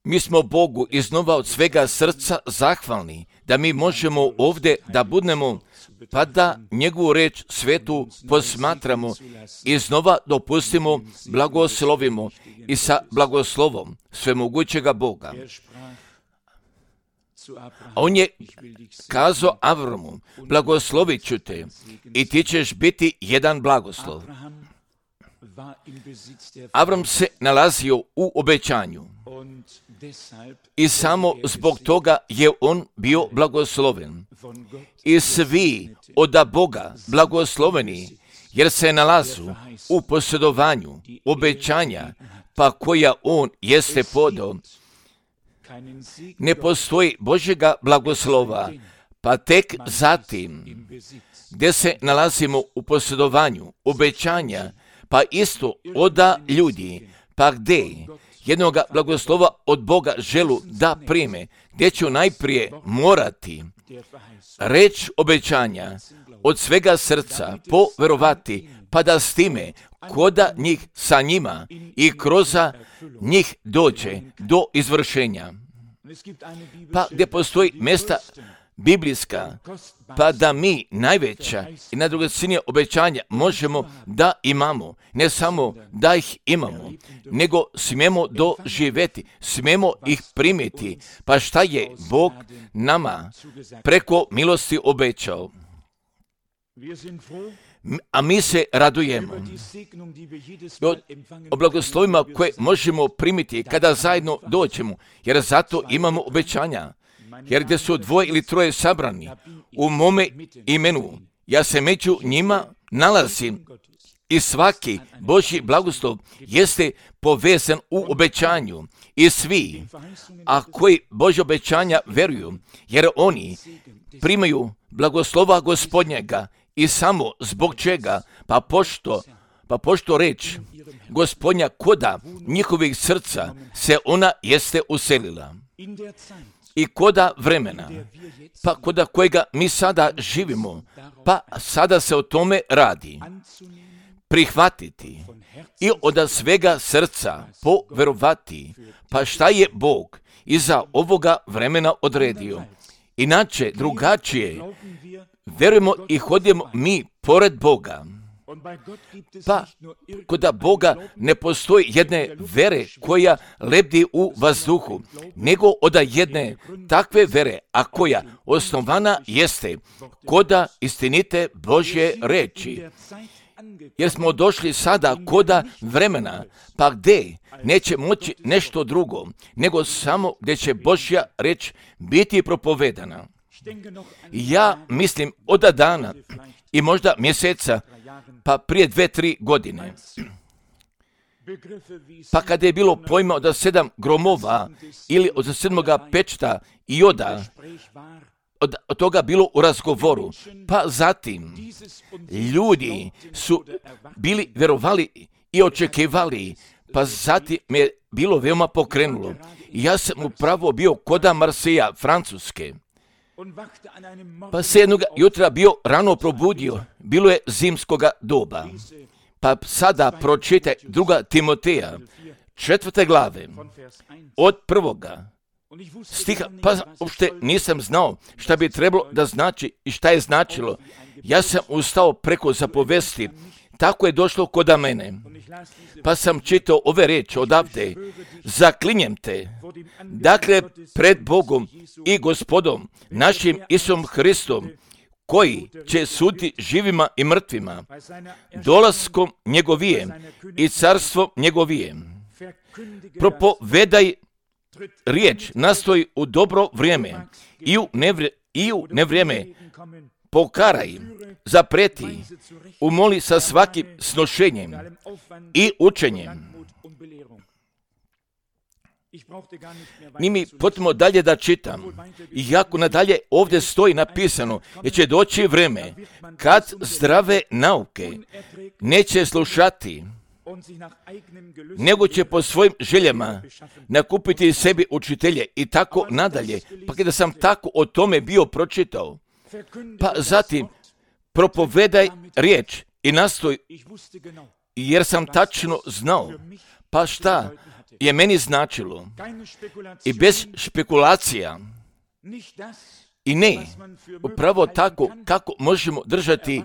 Mi smo Bogu iznova od svega srca zahvalni da mi možemo ovdje da budemo, pa da njegovu reč svetu posmatramo i iznova dopustimo, blagoslovimo i sa blagoslovom svemogućega Boga. A on je kazao Avramu, blagoslovit ću te i ti ćeš biti jedan blagoslov. Avram se nalazio u obećanju i samo zbog toga je on bio blagosloven. I svi od Boga blagosloveni, jer se nalazu u posjedovanju obećanja, pa koja on jeste podao. Ne postoji Božjega blagoslova, pa tek zatim, gdje se nalazimo u posjedovanju obećanja, pa isto oda ljudi, pa gdje jednoga blagoslova od Boga želu da prime, gdje ću najprije morati reč obećanja od svega srca poverovati, pa da s time koda njih sa njima i kroz njih dođe do izvršenja. Pa gdje postoji mjesta biblijska, pa da mi najveća i najdragocjenija obećanja možemo da imamo, ne samo da ih imamo, nego smijemo doživjeti, smijemo ih primiti, pa šta je Bog nama preko milosti obećao. A mi se radujemo o blagoslovima koje možemo primiti kada zajedno dođemo, jer zato imamo obećanja. Jer gdje su 2 ili 3 sabrani u mome imenu, ja se među njima nalazim i svaki Božji blagoslov jeste povezan u obećanju. I svi, a koji Božje obećanja veruju, jer oni primaju blagoslova Gospodnjega i samo zbog čega, pa pošto reč Gospodnja koda njihovih srca se ona jeste uselila. I koda vremena, pa koda kojega mi sada živimo, pa sada se o tome radi. Prihvatiti i od svega srca poverovati, pa šta je Bog iza ovoga vremena odredio. Inače, drugačije, verujemo i hodimo mi pored Boga. Pa kod Boga ne postoji jedne vere koja lebdi u vazduhu, nego od jedne takve vere, a koja osnovana jeste koda istinite Božje reči. Jer smo došli sada koda vremena, pa gdje neće moći nešto drugo, nego samo gdje će Božja reč biti propovedana. Ja mislim od dana i možda mjeseca, pa prije 2-3 godine. Pa kada je bilo pojma od 7 gromova ili od 7 pečta i od toga bilo u razgovoru, pa zatim ljudi su bili verovali i očekivali, pa zatim me je bilo veoma pokrenulo. Ja sam upravo bio koda Marseja, Francuske. Pa se jednog jutra bio rano probudio, bilo je zimskoga doba. Pa sada pročitaj 2. Timoteja, 4. glave, od 1. stiha, pa uopšte nisam znao šta bi trebalo da znači i šta je značilo. Ja sam ustao preko zapovesti, tako je došlo koda mene. Pa sam čitao ove riječi odavde, zaklinjem te, dakle pred Bogom i Gospodom, našim Isusom Hristom, koji će suditi živima i mrtvima, dolaskom njegovijem i carstvom njegovijem. Propovedaj riječ, nastoji u dobro vrijeme i u nevrijeme, pokaraj, zapreti, umoli sa svakim snošenjem i učenjem. Nije mi potrebno dalje da čitam. Iako nadalje ovdje stoji napisano, jer će doći vrijeme kad zdrave nauke neće slušati, nego će po svojim željama nakupiti sebi učitelje i tako nadalje. Pa kada sam tako o tome bio pročitao, pa zatim propovedaj riječ i nastoj jer sam tačno znao, pa šta je meni značilo. I bez špekulacija. I ne, upravo tako kako možemo držati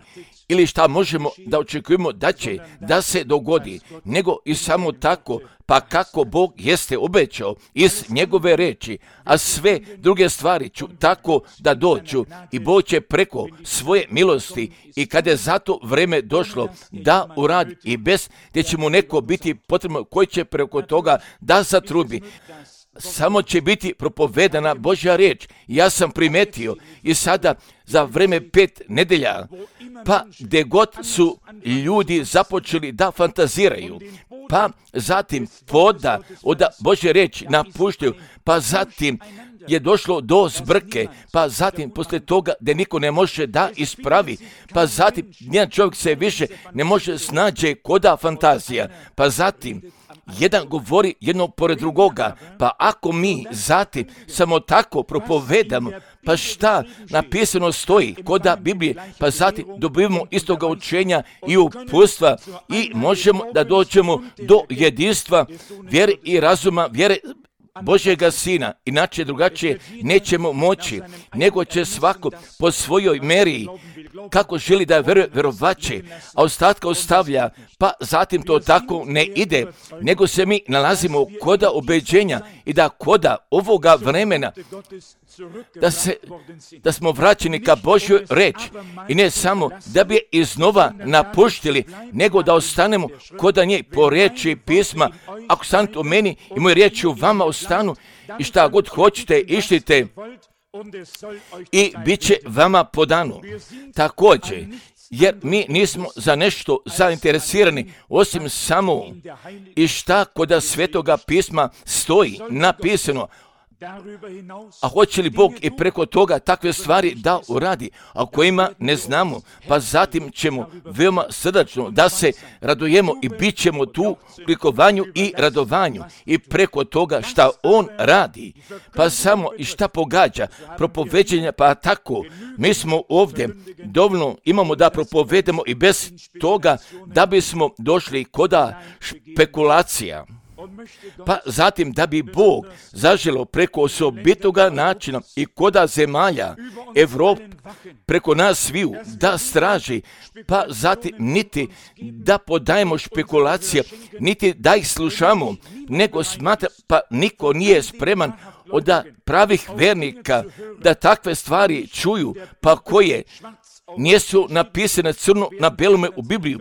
ili šta možemo da očekujemo da će da se dogodi, nego i samo tako, pa kako Bog jeste obećao iz njegove reči, a sve druge stvari ću tako da dođu i Bog će preko svoje milosti i kada je zato vreme došlo da uradi i bez gdje će mu neko biti potrebno koji će preko toga da zatrubi. Samo će biti propovedana Božja riječ. Ja sam primetio i sada za vreme 5 nedelja, pa gdje god su ljudi započeli da fantaziraju, pa zatim poda od Božje riječi napuštaju, pa zatim je došlo do zbrke, pa zatim poslije toga da niko ne može da ispravi, pa zatim nijedan čovjek se više ne može snađe koda fantazija, pa zatim jedan govori jednog pored drugoga, pa ako mi zatim samo tako propovedamo, pa šta napisano stoji koda Biblije, pa zatim dobivamo istoga učenja i uputstva i možemo da dođemo do jedinstva vjere i razuma, vjere Božjega Sina, inače drugačije nećemo moći, nego će svako po svojoj meri kako želi da verovaće, a ostatka ostavlja, pa zatim to tako ne ide, nego se mi nalazimo koda ubeđenja i da koda ovoga vremena da smo vraćeni ka Božjoj reči i ne samo da bi je iznova napuštili, nego da ostanemo koda nje po riječi pisma. Ako stanete u meni i moje riječi u vama ostanu i šta god hoćete, išlite i bit će vama podano. Također, jer mi nismo za nešto zainteresirani, osim samo i šta koda Svetoga pisma stoji napisano. A hoće li Bog i preko toga takve stvari da uradi, a kojima ne znamo, pa zatim ćemo veoma srdačno da se radujemo i bit ćemo tu u likovanju i radovanju i preko toga šta On radi, pa samo i šta pogađa, propoveđenja, pa tako, mi smo ovdje dovoljno imamo da propovedemo i bez toga da bismo došli koda špekulacija. Pa zatim da bi Bog zaželio preko osobitoga načina i koda zemalja Evrope preko nas sviju da straži, pa zatim niti da podajemo špekulacije, niti da ih slušamo, nego smatra, pa niko nije spreman od pravih vernika da takve stvari čuju, pa koje nisu napisane crno na belome u Bibliju,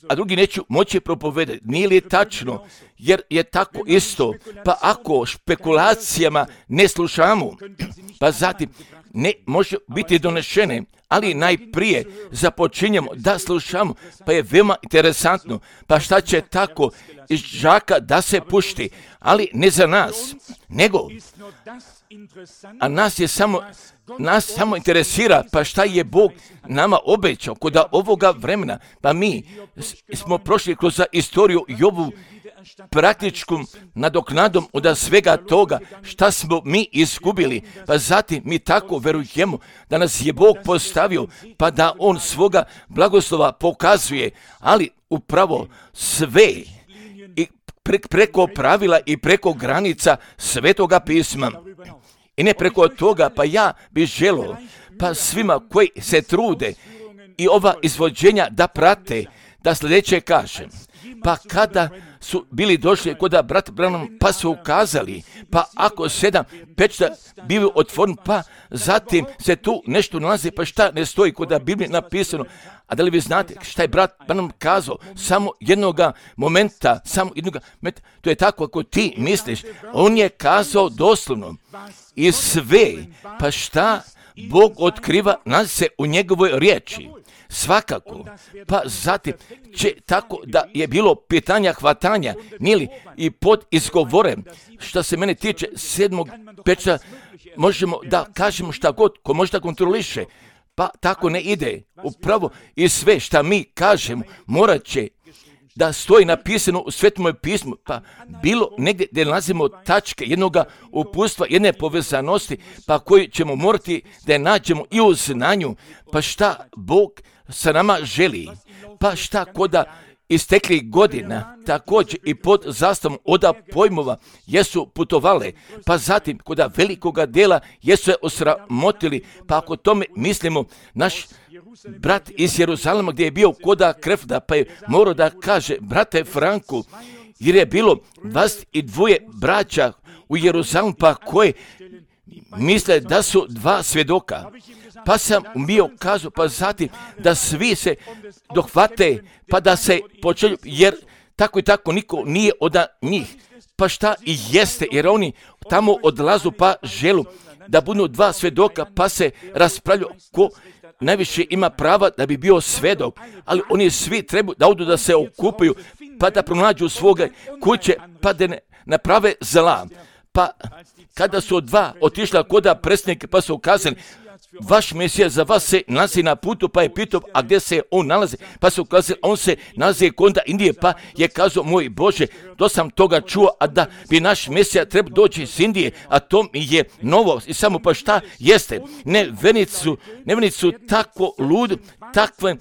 a drugi neću moći propovedati. Nije li tačno? Jer je tako isto. Pa ako špekulacijama ne slušamo, pa zatim ne može biti donešene, ali najprije započinjemo da slušamo, pa je veoma interesantno. Pa šta će tako iz žaka da se pušti, ali ne za nas, nego a nas samo interesira, pa šta je Bog nama obećao kod ovoga vremena. Pa mi smo prošli kroz istoriju Jobu praktičkom nadoknadom od svega toga šta smo mi izgubili, pa zatim mi tako verujemo da nas je Bog postavio, pa da On svoga blagoslova pokazuje, ali upravo sve i preko pravila i preko granica Svetoga pisma. I ne preko toga, pa ja bih želio, pa svima koji se trude i ova izvođenja da prate, da sljedeće kažem. Pa kada su bili došli kod brata Branham, pa su ukazali, pa ako 7 pečata bivaju otvoreni, pa zatim se tu nešto nalazi, pa šta ne stoji kod Biblije napisano. A da li vi znate šta je brat Branham kazao? Samo jednoga momenta, to je tako ako ti misliš, on je kazao doslovno i sve, pa šta Bog otkriva nalazi se u njegovoj riječi. Svakako, pa zatim će tako da je bilo pitanja hvatanja, nili i pod izgovorem, što se mene tiče 7. pečata, možemo da kažemo šta god, ko može da kontroliše, pa tako ne ide. Upravo i sve šta mi kažemo morat će da stoji napisano u Svetom pismu, pa bilo negdje gdje nalazimo tačke jednoga uputstva, jedne povezanosti, pa koju ćemo morati da je nađemo i u znanju, pa šta Bog sa nama želi, pa šta koda istekli godina, također i pod zastavom oda pojmova jesu putovale, pa zatim kod velikoga dela jesu je osramotili, pa ako tome mislimo, naš brat iz Jeruzalema gdje je bio koda Krefda, pa je morao da kaže, brate Franku, jer je bilo 22 braća u Jeruzalemu, pa koje misle da su 2 svjedoka. Pa sam bio kazao, pa zatim da svi se dohvate, pa da se počelju, jer tako i tako niko nije od njih. Pa šta i jeste, jer oni tamo odlazu pa želu da budu 2 svjedoka, pa se raspravljaju ko najviše ima prava da bi bio svedok, ali oni svi trebaju da odu da se okupaju, pa da pronađu svoga kuće, pa da ne naprave zla. Pa kada su 2 otišla koda predsjednika, pa su ukazali, vaš Mesija za vas se nalazi na putu, pa je pitao, a gdje se on nalazi? Pa su ukazali, on se nalazi kod Indije, pa je kazao, moj Bože, to sam toga čuo, a da bi naš Mesija trebao doći iz Indije, a to mi je novo. I samo pa šta jeste? Nevjernici su tako takvim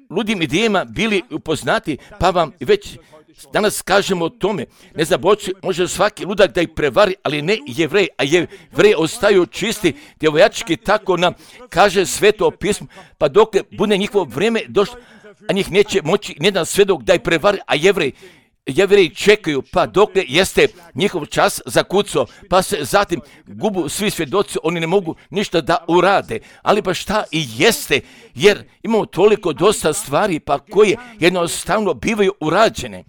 ludim idejama bili upoznati, pa vam već danas kažemo o tome, ne zaboći, može svaki ludak da ih prevari, ali ne Jevrej, a Jevrej ostaju čisti, djevojački, tako nam kaže Sveto pismo, pa dok bude njihovo vrijeme došlo, a njih neće moći nijedan svedok da ih prevari, a Jevreji čekaju, pa dok jeste njihov čas zakucao, pa se zatim gubu svi svjedoci, oni ne mogu ništa da urade, ali pa šta i jeste, jer imamo toliko dosta stvari, pa koje jednostavno bivaju urađene.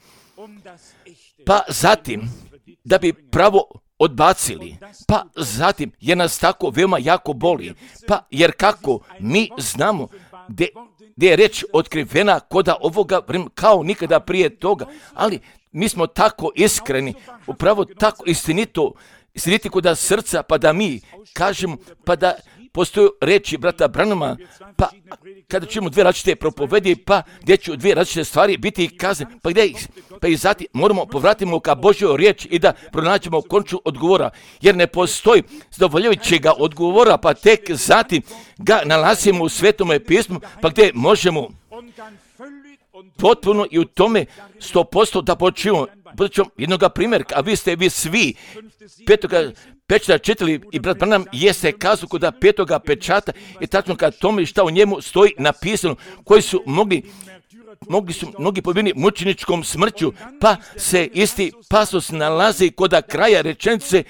Pa zatim, da bi pravo odbacili, pa zatim je nas tako veoma jako boli, pa jer kako mi znamo gdje je reč otkrivena koda ovoga vremena kao nikada prije toga, ali mi smo tako iskreni, upravo tako istiniti koda srca, pa da mi kažemo, pa da postoju reči brata Branhama, pa kada ćemo 2 različite propovedi, pa gdje ću 2 različite stvari biti kazane, pa gdje ih, pa i zatim moramo povratimo ka Božjoj riječi i da pronađemo konču odgovora, jer ne postoji zadovoljavajućega odgovora, pa tek zatim ga nalazimo u Svetome pismu, pa gdje možemo potpuno i u tome 100% da počivamo. Budućom jednoga primjerka, a vi svi petoga pečata čitali i brat Branham jeste kazao kod 5. pečata i tačno kad tome šta u njemu stoji napisano, koji su mnogi pobijeni mučeničkom smrću, pa se isti pasos nalazi kod kraja rečenice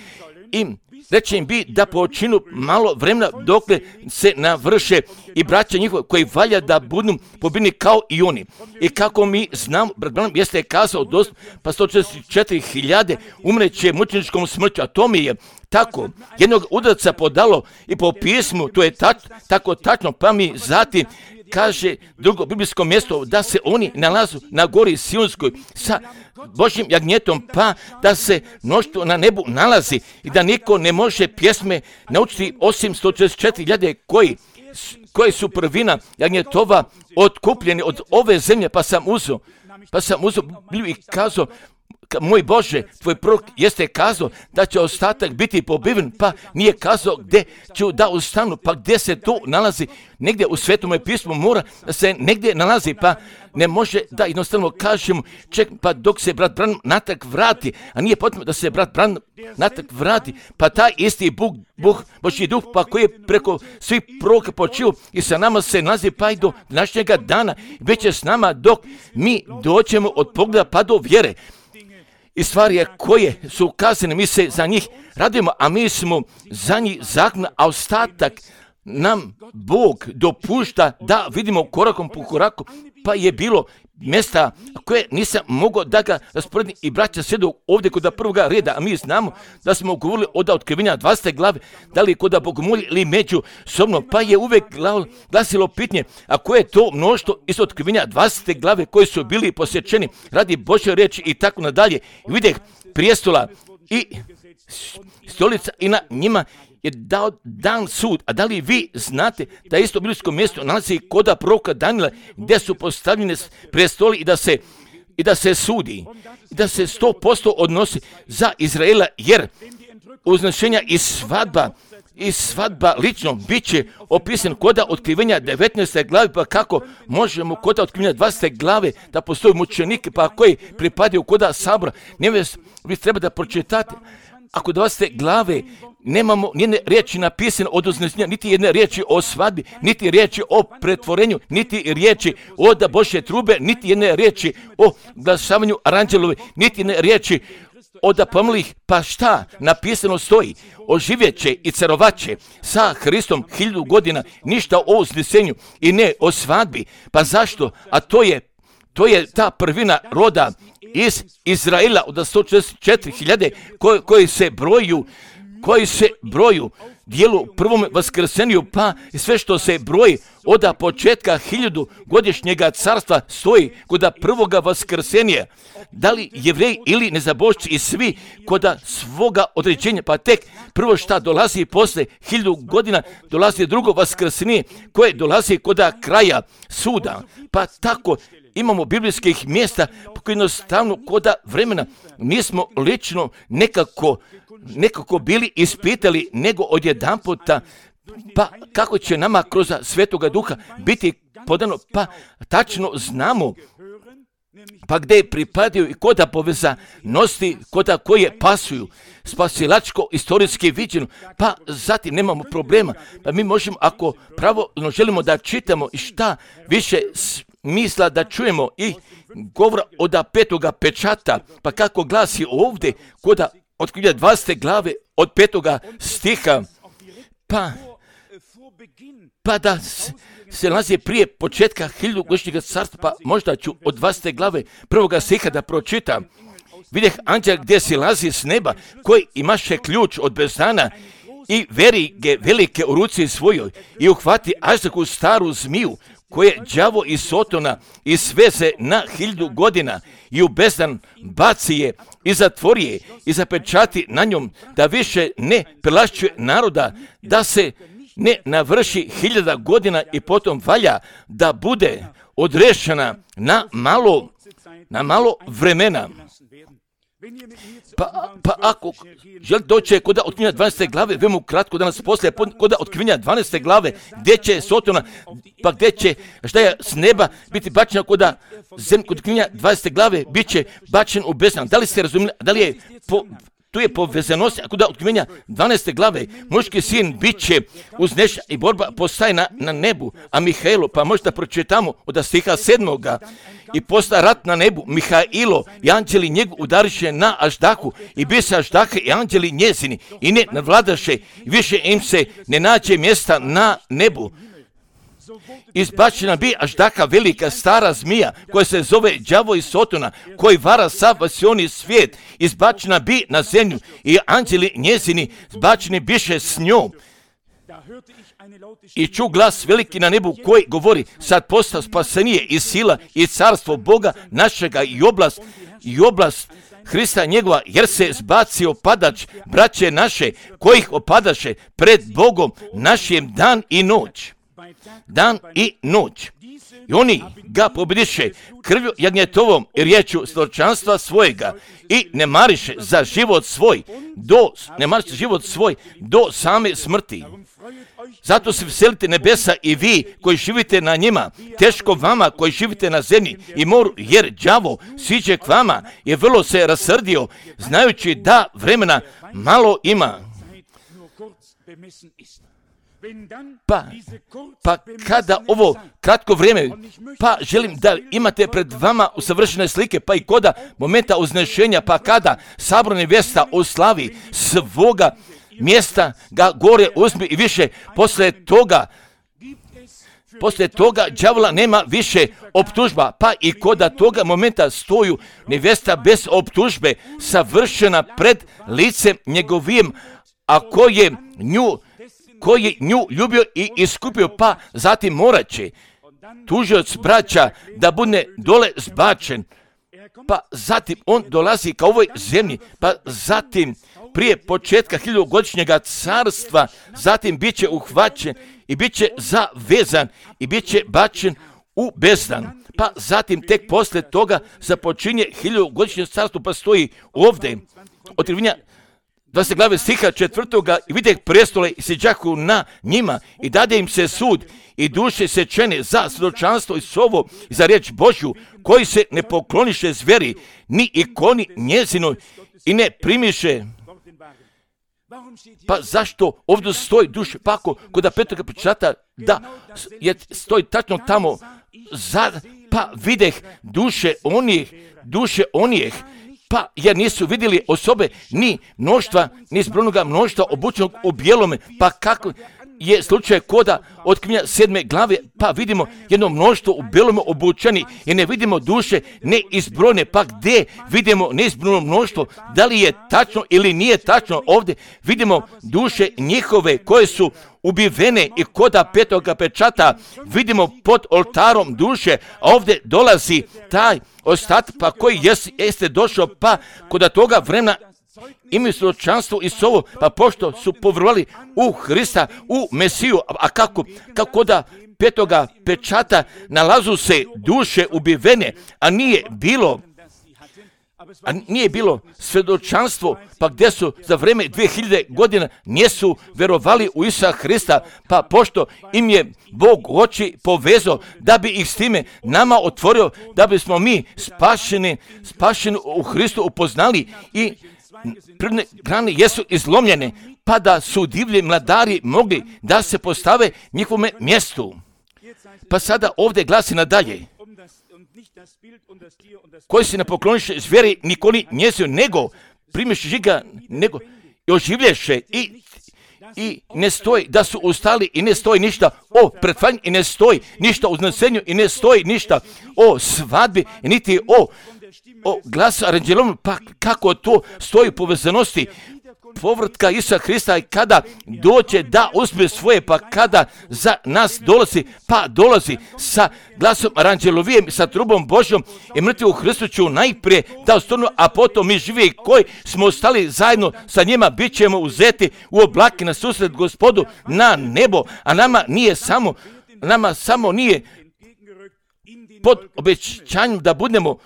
i reče im bi da počinu malo vremena dokle se navrše i braća njihova koji valja da budu pobijeni kao i oni. I kako mi znamo, brat Branham jeste kazao pa 144.000 umreće mučeničkom smrću, a to mi je tako jednog udarca podalo i po pismu, to je tako tačno, pa mi zatim kaže drugo biblijsko mjesto da se oni nalazu na gori Sionskoj sa Božjim jagnjetom, pa da se mnoštvo na nebu nalazi i da niko ne može pjesme naučiti osim 144.000 koji su prvina jagnjetova otkupljeni od ove zemlje, pa sam uzeo i kazao, moj Bože, tvoj prorok jeste kazao da će ostatak biti pobiven, pa nije kazao gdje ću da ostanu, pa gdje se to nalazi, negdje u Svetome pismu mora da se negdje nalazi, pa ne može da jednostavno kažemo, pa dok se brat Branham natrag vrati, a nije potrebno da se brat Branham natrag vrati, pa taj isti Božji duh, pa koji je preko svih proroka počio i sa nama se nalazi pa i do današnjega dana, već je s nama dok mi dođemo od pogleda pa do vjere. I stvari koje su ukazane, mi se za njih radimo, a mi smo za njih zakona, a ostatak nam Bog dopušta da vidimo korakom po koraku, pa je bilo mjesta koje nisam mogao da ga rasporedim i braća sjedu ovdje kod prvoga reda, a mi znamo da smo govorili od otkrivenja 20. glave, da li kod bogomolja ili međusobno, pa je uvijek glasilo pitanje, a koje je to mnoštvo iz otkrivenja 20. glave koji su bili posjećeni radi Božje riječi i tako nadalje. I vidjeh prijestola i stolica i na njima je dao dan sud. A da li vi znate da isto biblijsko mjesto nalazi koda proroka Danila gdje su postavljene prijestoli i da se sudi, i da se 100% odnosi za Izraela, jer uznešenja i svadba i svadba lično bit će opisan koda otkrivenja 19. glave, pa kako možemo koda otkrivenja 20. glave da postoji mučenik, pa koji pripadaju koda sabora. Vi treba da pročitate. Ako 20. glave nemamo nijedne riječi napisane od uznesenja, niti jedne riječi o svadbi, niti riječi o pretvorenju, niti riječi o da Božje trube, niti jedne riječi o glasavanju aranđelovi, niti jedne riječi od pomlih, pa šta napisano stoji? Oživjet će i carovaće sa Hristom 1000 godina, ništa o uznesenju i ne o svadbi. Pa zašto? A to je ta prvina roda iz Izraela od 144.000 koji se broju dijelu prvom vaskrsenju, pa i sve što se broji od početka 1000 godišnjega carstva stoji kod prvoga vaskrsenja. Da li Jevreji ili nezabošci i svi kod svoga određenja, pa tek prvo šta dolazi posle 1000 godina, dolazi drugo vaskrsenje koje dolazi kod kraja suda. Pa tako imamo biblijskih mjesta koji jednostavno kod vremena nismo lično nekako bili ispitali, nego odjedanputa, pa kako će nama kroz Svetoga Duha biti podano, pa tačno znamo pa gdje pripadaju i koda povezanosti, koda koje pasuju, spasilačko, istorijski viđeno, pa zatim nemamo problema. Pa mi možemo, ako pravilno želimo da čitamo i šta više misla da čujemo i govora od 5. pečata, pa kako glasi ovdje, koda otkrivenja 20. glave od 5. stiha, pa da se nalazi prije početka 1000 godišnjega carstva, pa možda ću od 20. glave 1. stiha da pročitam. Vidjeh anđela gdje se lazi s neba, koji imaše ključ od bezdana i verige velike u ruci svojoj i uhvati aždahu staru zmiju, koje đavo i Sotona i sveze na 1000 godina i u bezdan baci je i zatvori je i zapečati na njom, da više ne prelašćuje naroda, da se ne navrši 1000 godina i potom valja da bude odrešena na malo vremena. Pa ako želite doći kod otkrivenja 12. glave, veoma kratko danas poslije, kod otkrivenja 12. glave, gdje će Sotona, pa gdje će, šta je s neba, biti bačena kod otkrivenja 20. glave, bit će bačen u bezdan. Da li ste razumjeli, da li je tu je povezanost, kod otkrivenja 12. glave, muški sin bit će uznešen i borba postaje na nebu, a Mihailo, pa možda pročitamo od stiha 7. I postaje rat na nebu, Mihailo i anđeli njegu udariše na aždahu i bise aždahe i anđeli njezini i ne nadvladaše i više im se ne nađe mjesta na nebu. Izbačena bi aždaha velika stara zmija koja se zove đavo i Sotona, koji vara sav vasioni svijet, izbačena bi na zemlju i anđeli njezini zbačeni biše s njom. I ču glas veliki na nebu koji govori, sad posta spasenije i sila i carstvo Boga našega i oblast Hrista njegova, jer se zbacio opadač braće naše, kojih opadaše pred Bogom našim dan i noć. Dan i noć. I oni ga pobjediše krvju jagnjetovom i riječu svjedočanstva svojega i ne mariše za život svoj do same smrti. Zato se veselite nebesa i vi koji živite na njima, teško vama koji živite na zemlji i moru, jer đavo siđe k vama je vrlo se rasrdio, znajući da vremena malo ima. Pa kada ovo kratko vrijeme, pa želim da imate pred vama usavršene slike, pa i koda momenta uznešenja, pa kada sabrana nevjesta oslavi svoga mjesta ga gore uzmi i više poslije toga đavola nema više optužba, pa i koda toga momenta stoju nevjesta bez optužbe, savršena pred licem njegovim, a koji je nju ljubio i iskupio, pa zatim morat će tužioc braća da bude dole zbačen, pa zatim on dolazi ka ovoj zemlji, pa zatim prije početka 1000-godišnjega carstva, zatim bit će uhvaćen i bit će zavezan i bit će bačen u bezdan. Pa zatim tek poslije toga započinje 1000-godišnje carstvo, pa stoji ovdje otkrivenja 20 glave stiha 4. i videh prestole i siđahu na njima i dade im se sud i duše sečene za svjedočanstvo i slovo i za riječ Božju, koji se ne pokloniše zveri, ni ikoni njezinoj i ne primiše. Pa zašto ovdje stoji duše? Pa ako kod 5. pečata da stoji tačno tamo, pa videh duše onih, pa jer nisu vidjeli osobe ni mnoštva, ni zbrojnoga mnoštva obučenog u bijelome, pa kako je slučaj koda otkrivenja 7. glave, pa vidimo jedno mnoštvo u bijelome obučeni i ne vidimo duše neizbrojne, pa gdje vidimo neizbrojno mnoštvo, da li je tačno ili nije tačno, ovdje vidimo duše njihove koje su ubivene i koda 5. pečata vidimo pod oltarom duše, a ovdje dolazi taj ostatak pa koji jeste došao, pa kod toga vremena imaju svjedočanstvo i slovo, pa pošto su povjerovali u Hrista, u Mesiju, a kako da 5. pečata nalazu se duše ubivene, a nije bilo svjedočanstvo, pa gdje su za vrijeme 2000 godina nisu vjerovali u Isusa Hrista, pa pošto im je Bog oči povezao da bi ih s time nama otvorio, da bismo mi spašeni u Hristu upoznali i prirodne grane jesu izlomljene, pa da su divlji mladari mogli da se postave njihovome mjestu. Pa sada ovdje glasi nadalje, koji se ne pokloniše zveri nikoli njezinu, nego primiše ga, nego i oživlješe i ne stoji da su ustali i ne stoji ništa o pretvaranju i ne stoji ništa o uznesenju i ne stoji ništa o svadbi niti o glasu aranđelovom, pa kako to stoji u povezanosti povratka Isusa Hrista i kada dođe da uzme svoje, pa kada za nas dolazi sa glasom aranđelovijem, sa trubom Božjom i mrtvi u Hristu ću najprije da ostanu, a potom mi živi koji smo ostali zajedno sa njima bit ćemo uzeti u oblake na susret Gospodu na nebo, a nama samo nije pod obećanjem da budemo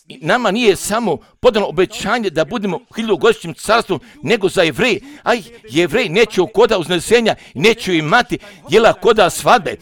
nama nije samo podano obećanje da budemo u 1000-godišnjem carstvu, nego za Jevreje. A Jevreji neće koda uznesenja, neće imati jela koda svadbe.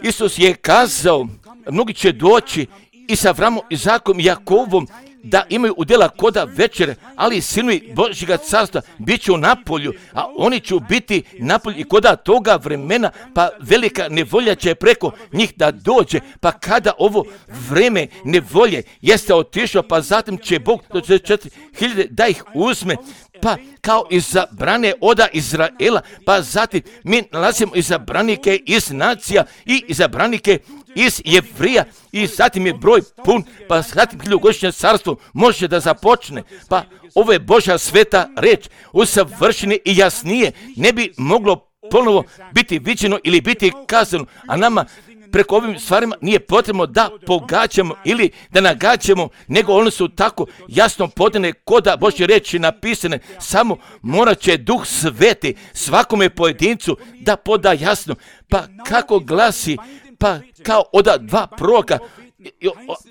Isus je kazao, mnogi će doći i sa Avramom, Izakom i Jakovom da imaju udjela koda večere, ali sinovi Božjega carstva bit će u napolju, a oni će biti napolju i koda toga vremena, pa velika nevolja će preko njih da dođe, pa kada ovo vreme nevolje jeste otišlo, pa zatim će Bog do 4000 da ih uzme, pa kao izabrane oda Izraela, pa zatim mi nalazimo izabranike iz nacija i izabranike iz Jevrija i zatim je broj pun, pa zatim 1000-godišnje carstvo može da započne, pa ovo je Božja sveta reč, usavršene i jasnije ne bi moglo ponovo biti viđeno ili biti kazano, a nama preko ovim stvarima nije potrebno da pogađamo ili da nagađamo, nego one su tako jasno podane koda Božje reči napisane, samo morat će Duh Sveti svakome pojedincu da poda jasno, pa kako glasi, pa kao oda 2 proroka,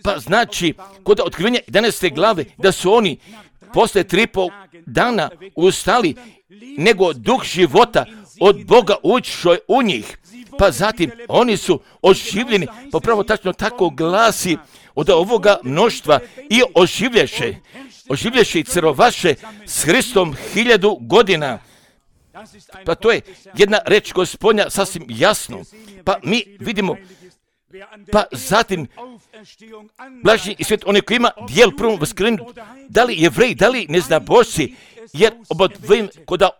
pa znači kod otkrivenja 11. glave da su oni posle 3,5 dana ustali, nego duh života od Boga ušao u njih, pa zatim oni su oživljeni, pa pravo tačno tako glasi od ovoga mnoštva i oživlješe i crvaše s Hristom 1000 godina. Pa to je jedna reč Gospodnja sasvim jasno. Pa mi vidimo, pa zatim blažnji i svijet, onaj koji ima dijel prvom vaskrenju, da li Jevreji, da li neznabošci, jer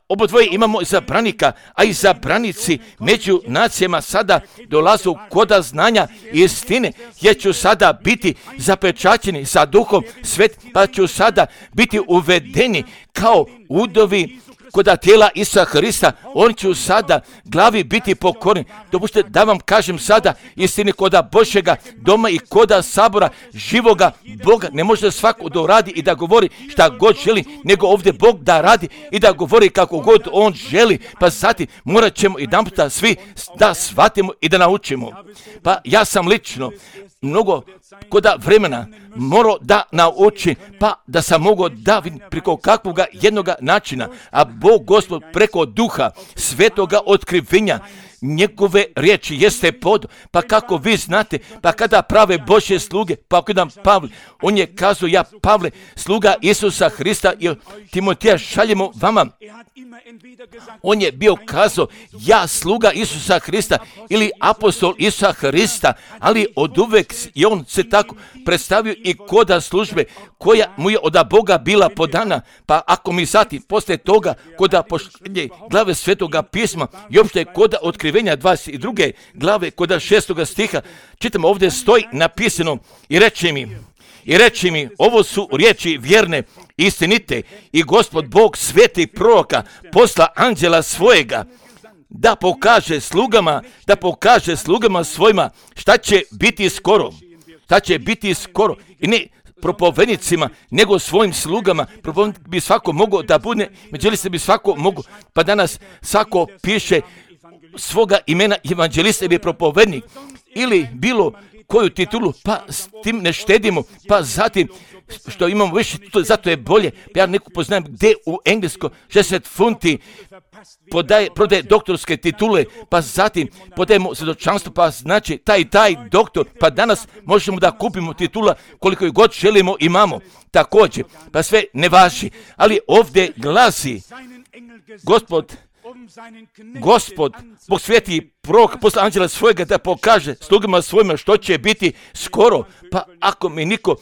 obodvoje imamo izabranika, a izabranici među nacijama sada dolazu koda znanja i istine, jer ću sada biti zapečaćeni sa Duhom Svet, pa ću sada biti uvedeni kao udovi koda tijela Isusa Hrista, oni će sada glavi biti pokorni. Dopustite da vam kažem sada istini, koda Božjega doma i koda sabora živoga Boga ne može svako da radi i da govori šta god želi, nego ovdje Bog da radi i da govori kako god on želi, pa zatim morat ćemo jedanputa svi da shvatimo i da naučimo. Pa ja sam lično mnogo koda vremena morao da nauči, pa da sam mogao da vidim preko kakvoga jednoga načina, a Bog Gospod preko Duha Svetoga otkrivenja njegove riječi jeste pod, pa kako vi znate, pa kada prave Božje sluge, pa kada Pavle, on je kazao, ja Pavle, sluga Isusa Hrista i Timoteja šaljemo vama. On je bio kazao, ja sluga Isusa Hrista ili apostol Isusa Hrista, ali od uvek je on se tako predstavio i koda službe koja mu je od Boga bila podana, pa ako mi zatim posle toga koda poštenje glave Svetoga pisma i opšte koda otkrivenja 22. glave koda 6. stiha, čitamo ovdje stoji napisano i reči mi, ovo su riječi vjerne, istinite i Gospod Bog svetih proroka posla anđela svojega da pokaže slugama svojima šta će biti skoro i ne propovednicima, nego svojim slugama. Propovednik bi svako mogao da bude, evanđelista bi svako mogao, pa danas svako piše svoga imena evanđelista bi propovednik ili bilo koju titulu, pa s tim ne štedimo, pa zatim što imamo više, zato je bolje. Ja neko poznajem gdje u Englesko 60 funti prodaje doktorske titule, pa zatim podajemo svjedočanstvo, pa znači taj doktor, pa danas možemo da kupimo titula koliko god želimo, imamo također, pa sve ne važi, ali ovdje glasi Gospod, Bog sveti prorok posla anđela svojega da pokaže slugama svojima što će biti skoro, pa ako mi niko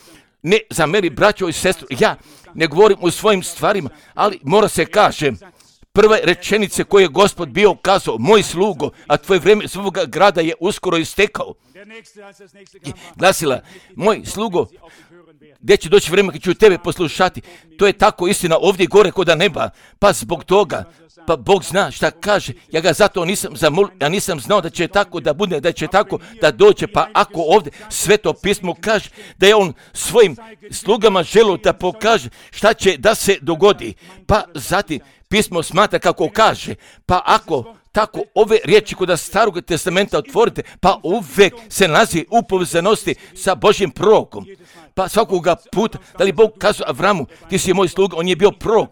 ne zameri, braćo i sestru, ja ne govorim o svojim stvarima, ali mora se kaže, prve rečenice koje je Gospod bio kazao, moj slugo, a tvoje vrijeme svoga grada je uskoro istekao. I glasila, moj slugo, gdje će doći vrijeme kad ću tebe poslušati, to je tako istina ovdje gore koda neba, pa zbog toga, pa Bog zna šta kaže, ja ga zato nisam zamolio, ja nisam znao da će tako da bude, da će tako da dođe, pa ako ovdje Sveto pismo kaže da je on svojim slugama želio da pokaže šta će da se dogodi, pa zatim pismo smatra kako kaže, pa ako tako ove riječi kod Starog testamenta otvorite, pa uvek se nalazi u povezanosti sa Božjim prorokom. Pa svakoga puta, da li Bog kazao Avramu, ti si moj sluga, on je bio prorok.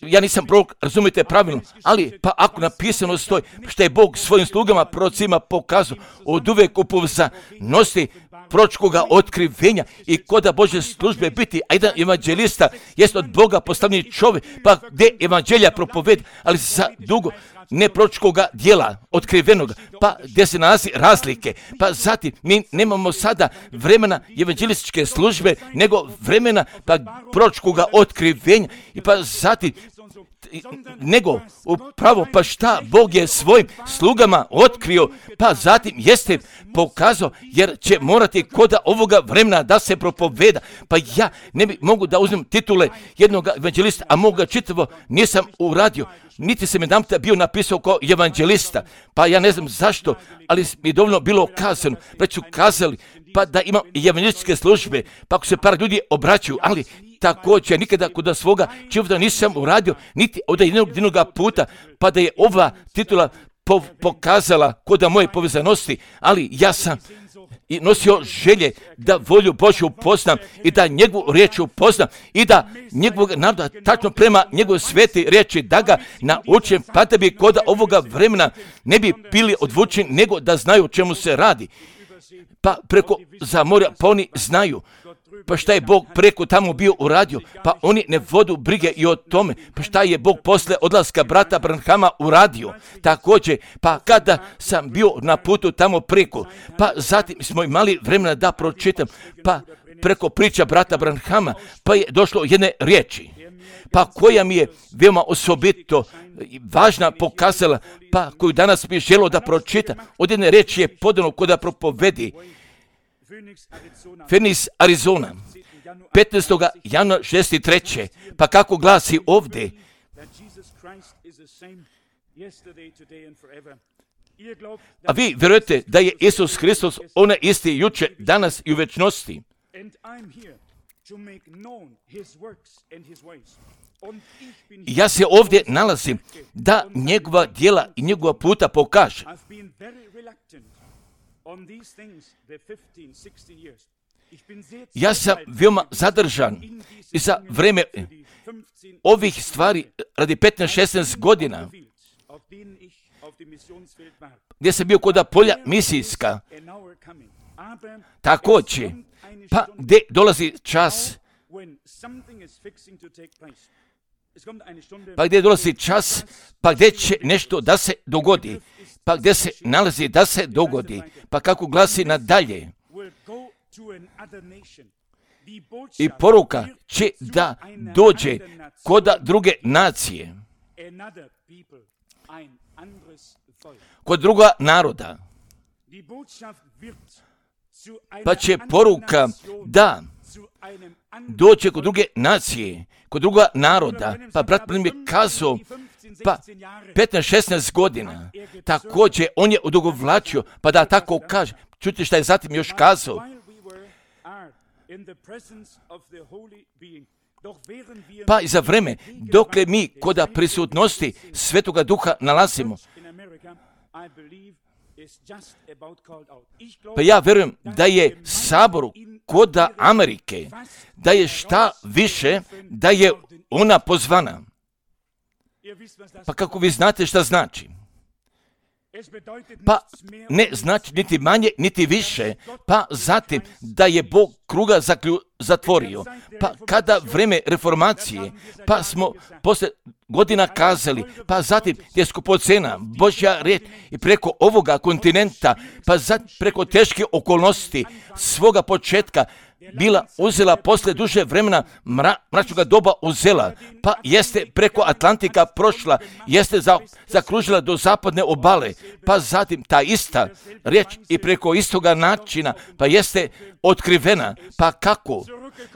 Ja nisam prorok, razumijete pravilno, ali pa ako napisano stoji što je Bog svojim slugama prorocima pokazao od uvek u povezanosti proročkoga otkrivenja i koda Božje službe biti, a jedan evanđelista jest od Boga postavljeni čovjek, pa gdje evanđelja propovedi, ali za dugo ne proročkoga dijela otkrivenoga, pa gdje se nalazi razlike, pa zatim mi nemamo sada vremena evanđelističke službe, nego vremena pa proročkoga otkrivenja i pa zatim nego upravo pa šta Bog je svojim slugama otkrio, pa zatim jeste pokazao, jer će morati koda ovoga vremena da se propoveda, pa ja ne bi mogu da uzmem titule jednog evanđelista, a mogu ga čitavo nisam uradio, niti se mi jedanputa bio napisao kao evanđelista, pa ja ne znam zašto, ali mi je dovoljno bilo kazano, već su kazali, pa da imam evanđelističke službe, pa ako se par ljudi obraćaju, ali također nikada kod svoga života nisam uradio, niti od jednog puta, pa da je ova titula pokazala kod moje povezanosti, ali ja sam i nosio želje da volju Božju upoznam i da njegovu riječ upoznam i da njegovog naroda tačno prema njegove svete riječi da ga naučim, pa da bi kod ovoga vremena ne bi bili odvučeni nego da znaju o čemu se radi. Pa preko za morja, pa oni znaju. Pa šta je Bog preko tamo bio uradio, pa oni ne vodu brige i o tome, pa šta je Bog posle odlaska brata Branhama uradio, također, pa kada sam bio na putu tamo preko, pa zatim smo imali vremena da pročitam, pa preko priča brata Branhama, pa je došlo jedne riječi, pa koja mi je veoma osobito važna pokazala, pa koju danas mi je želio da pročitam, od jedne riječi je podano kod da propovedi, Phoenix, Arizona, 15. januara 63. Pa kako glasi ovdje? A vi vjerujete da je Isus Hristos onaj isti jučer, danas i u večnosti? Ja se ovdje nalazim da njegova djela i njegova puta pokaže. Ja sam veoma zadržan i za vreme ovih stvari radi 15-16 godina gdje sam bio kod polja misijska, također, pa gdje dolazi čas, pa gdje dolazi čas, pa gdje će nešto da se dogodi, pa gdje se nalazi da se dogodi, pa kako glasi nadalje. I poruka će da dođe kod druge nacije, kod druga naroda, pa će poruka da dođe kod druge nacije, kod druga naroda. Pa brat mi je kazao, pa 15-16 godina, također on je odugovlačio, pa da tako kaže. Čujte šta je zatim još kazao. Pa i za vreme, dokle mi kod prisutnosti Svetoga Duha nalazimo, pa ja vjerujem da je saboru kod Amerike, da je šta više, da je ona pozvana. Pa kako vi znate šta znači? Pa ne znači niti manje, niti više, pa zatim da je Bog kruga zatvorio. Pa kada vreme reformacije, pa smo posle godina kazali, pa zatim je skupocena Božja riječ i preko ovoga kontinenta, pa zatim preko teške okolnosti svoga početka bila uzela posle duže vremena mračnoga doba uzela, pa jeste preko Atlantika prošla, jeste zakružila do zapadne obale, pa zatim ta ista riječ i preko istoga načina, pa jeste otkrivena, pa kako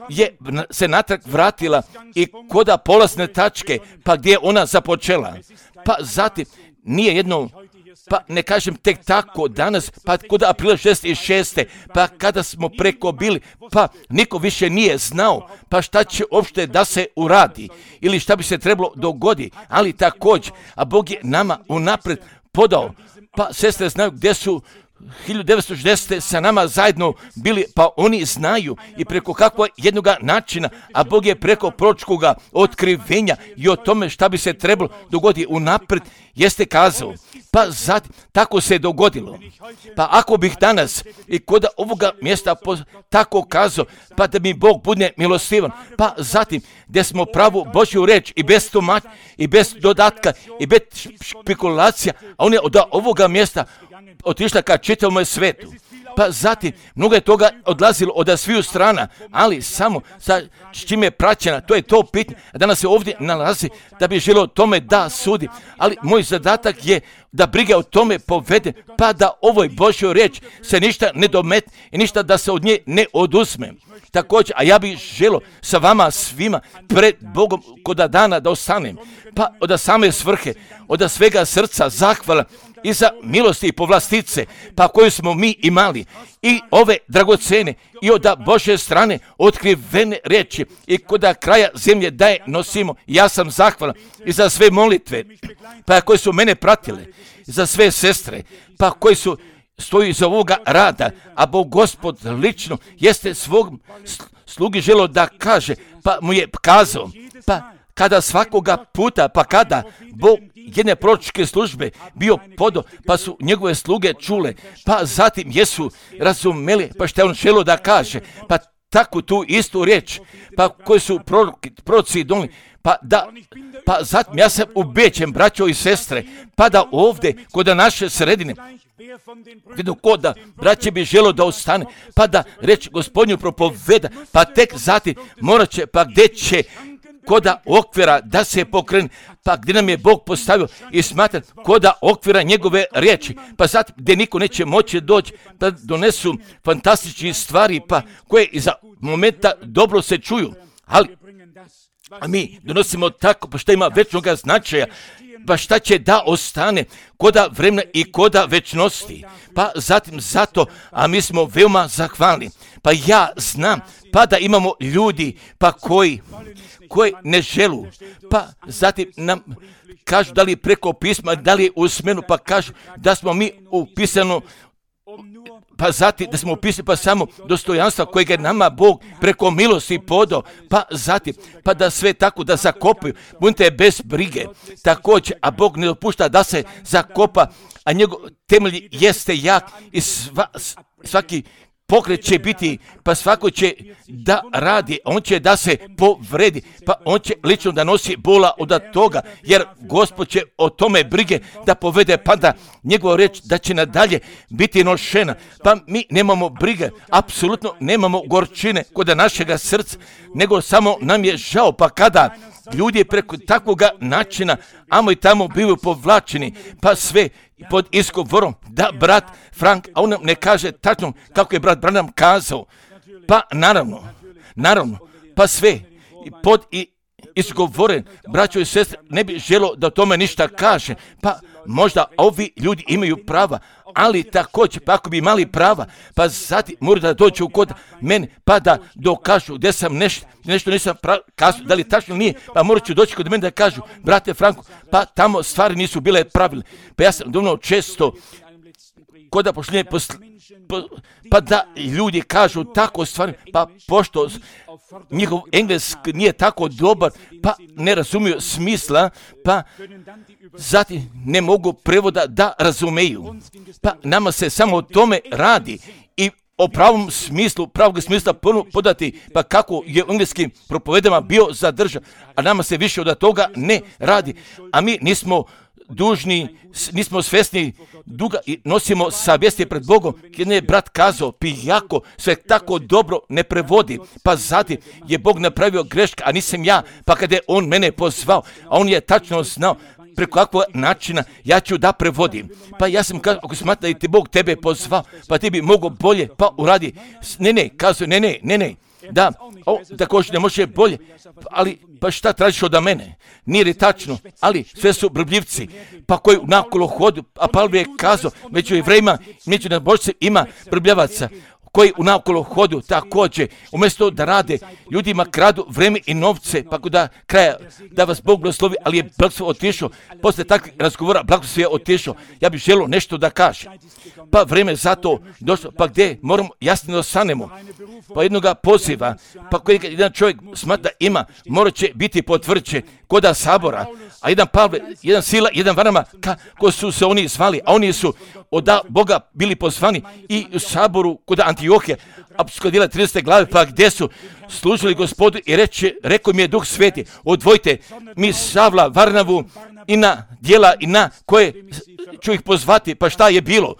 je se natrag vratila i koda polazne tačke, pa gdje je ona započela, pa zatim nije jedno, pa ne kažem tek tako danas, pa kod aprila 66. pa kada smo preko bili, pa niko više nije znao, pa šta će uopšte da se uradi ili šta bi se trebalo dogoditi, ali također, a Bog je nama unapred podao, pa sestre znaju gdje su 1960. sa nama zajedno bili, pa oni znaju i preko kakvog jednoga načina, a Bog je preko proročkoga otkrivenja i o tome šta bi se trebalo dogoditi unapred, jeste kazao. Pa zatim, tako se dogodilo. Pa ako bih danas i kod ovoga mjesta tako kazao, pa da mi Bog bude milostivan, pa zatim, gdje smo pravu Božju reč i bez tumačenja, i bez dodatka, i bez špekulacija, a on je od ovoga mjesta otišla ka čitavom svetu. Pa zatim, mnogo je toga odlazilo od sviju strana, ali samo sa čim je praćena, to je to pitanje. Danas se ovdje nalazi da bi želio tome da sudi, ali moj zadatak je da brige o tome povede, pa da ovoj Božjoj riječ se ništa ne dometne i ništa da se od nje ne oduzme. Također, a ja bih želio sa vama svima pred Bogom kod dana da ostanem, pa od same svrhe, od svega srca zahvala i za milosti i povlastice, pa koju smo mi imali, i ove dragocene, i od Božje strane otkrivene riječi, i kod kraja zemlje da je nosimo. Ja sam zahvalan i za sve molitve, pa koje su mene pratile, za sve sestre, pa koji su stoji iza ovoga rada, a Bog Gospod lično jeste svog slugi želio da kaže, pa mu je kazao, pa kada svakoga puta, pa kada Bog jedne proročke službe bio podo, pa su njegove sluge čule, pa zatim jesu razumeli, pa što je on želio da kaže, pa tako tu istu riječ, pa koji su proroci donili, pa zatim ja sam ubeđen, braćo i sestre, pa da ovdje, kod naše sredine, vidim ko da braće bi želo da ostane, pa da reći Gospodnju propoveda, pa tek zatim morat će, pa gdje će koda okvira da se pokrene, pa gdje nam je Bog postavio i smatra koda okvira njegove riječi, pa zatim gdje niko neće moći doći da donesu fantastične stvari, pa koje iza momenta dobro se čuju, ali a mi donosimo tako, pa što ima večnoga značaja, pa šta će da ostane koda vremena i koda večnosti. Pa zatim zato, a mi smo veoma zahvalni. Pa ja znam, pa da imamo ljudi, pa koji ne želu, pa zatim nam kažu da li preko pisma, da li usmeno, pa kažu da smo mi upisano pa zatim da smo upisali pa samo dostojanstva kojeg je nama Bog preko milosti podao, pa zatim, pa da sve tako da zakopaju, budite bez brige, također, a Bog ne dopušta da se zakopa, a njegov temelj jeste jak i svaki pokret će biti, pa svako će da radi, on će da se povredi, pa on će lično da nosi bola od toga, jer Gospod će o tome brige da povede, pa da njegova reč da će nadalje biti nošena, pa mi nemamo brige, apsolutno nemamo gorčine kod našega srca, nego samo nam je žao, pa kada ljudi preko takvoga načina, amo i tamo bivaju povlačeni, pa sve pod izgovorom da brat Frank, a on nam ne kaže tačno kako je brat Branham kazao, pa naravno, pa sve pod izgovoren, braćo i sestre, ne bi želo da o tome ništa kaže, pa možda ovi ljudi imaju prava, ali također, pa ako bi imali prava, pa zatim moraju da dođu kod mene, pa da dokažu gdje sam nešto nisam kazao, da li tačno nije, pa morat ću doći kod mene da kažu, brate Franko, pa tamo stvari nisu bile pravilne. Pa ja sam dovoljno često kod pošljenje pa da ljudi kažu tako stvari, pa pošto njihov engleski nije tako dobar, pa ne razumiju smisla, pa zatim ne mogu prevoda da razumeju. Pa nama se samo o tome radi i o pravog smisla podati, pa kako je u engleskim propovedama bio zadržan, a nama se više od toga ne radi, a mi nismo dužni, nismo svjesni duga i nosimo savjesti pred Bogom, jer je brat kazao, pijako sve tako dobro ne prevodi, pa zatim je Bog napravio greška, a nisam ja, pa kada je on mene pozvao, a on je tačno znao preko kakvog načina ja ću da prevodim. Pa ja sam kazao, ako smatra da ti Bog tebe pozvao, pa ti bi mogao bolje, pa uradi. Kazao, ne, da, također ne može bolje, ali pa šta tražiš od mene? Nije li tačno, ali sve su brbljivci, pa koji nakolo hodu, a Pavle je kazao, među Jevrejima, među nabožcima ima brbljavaca, koji u naokolo hodu također, umjesto da rade, ljudima kradu vreme i novce, pa da kraja da vas Bog blagoslovi, ali je blagoslov otišao, posle takvih razgovora blagoslov je otišao, ja bih želio nešto da kažem. Pa vreme za to došlo, pa gdje moramo jasno da osanemo, pa jednoga poziva, pa koji jedan čovjek smatra ima, morat će biti potvrđen koda sabora, a jedan Pavle, jedan Sila, jedan Varnaba, ko su se oni zvali, a oni su od Boga bili pozvani i u saboru kod Antiohije, apostolska djela 30. glave, pa gdje su služili Gospodu i rekao mi je Duh Sveti, odvojite mi Savla, Varnavu i na djela i na koje ću ih pozvati, pa šta je bilo?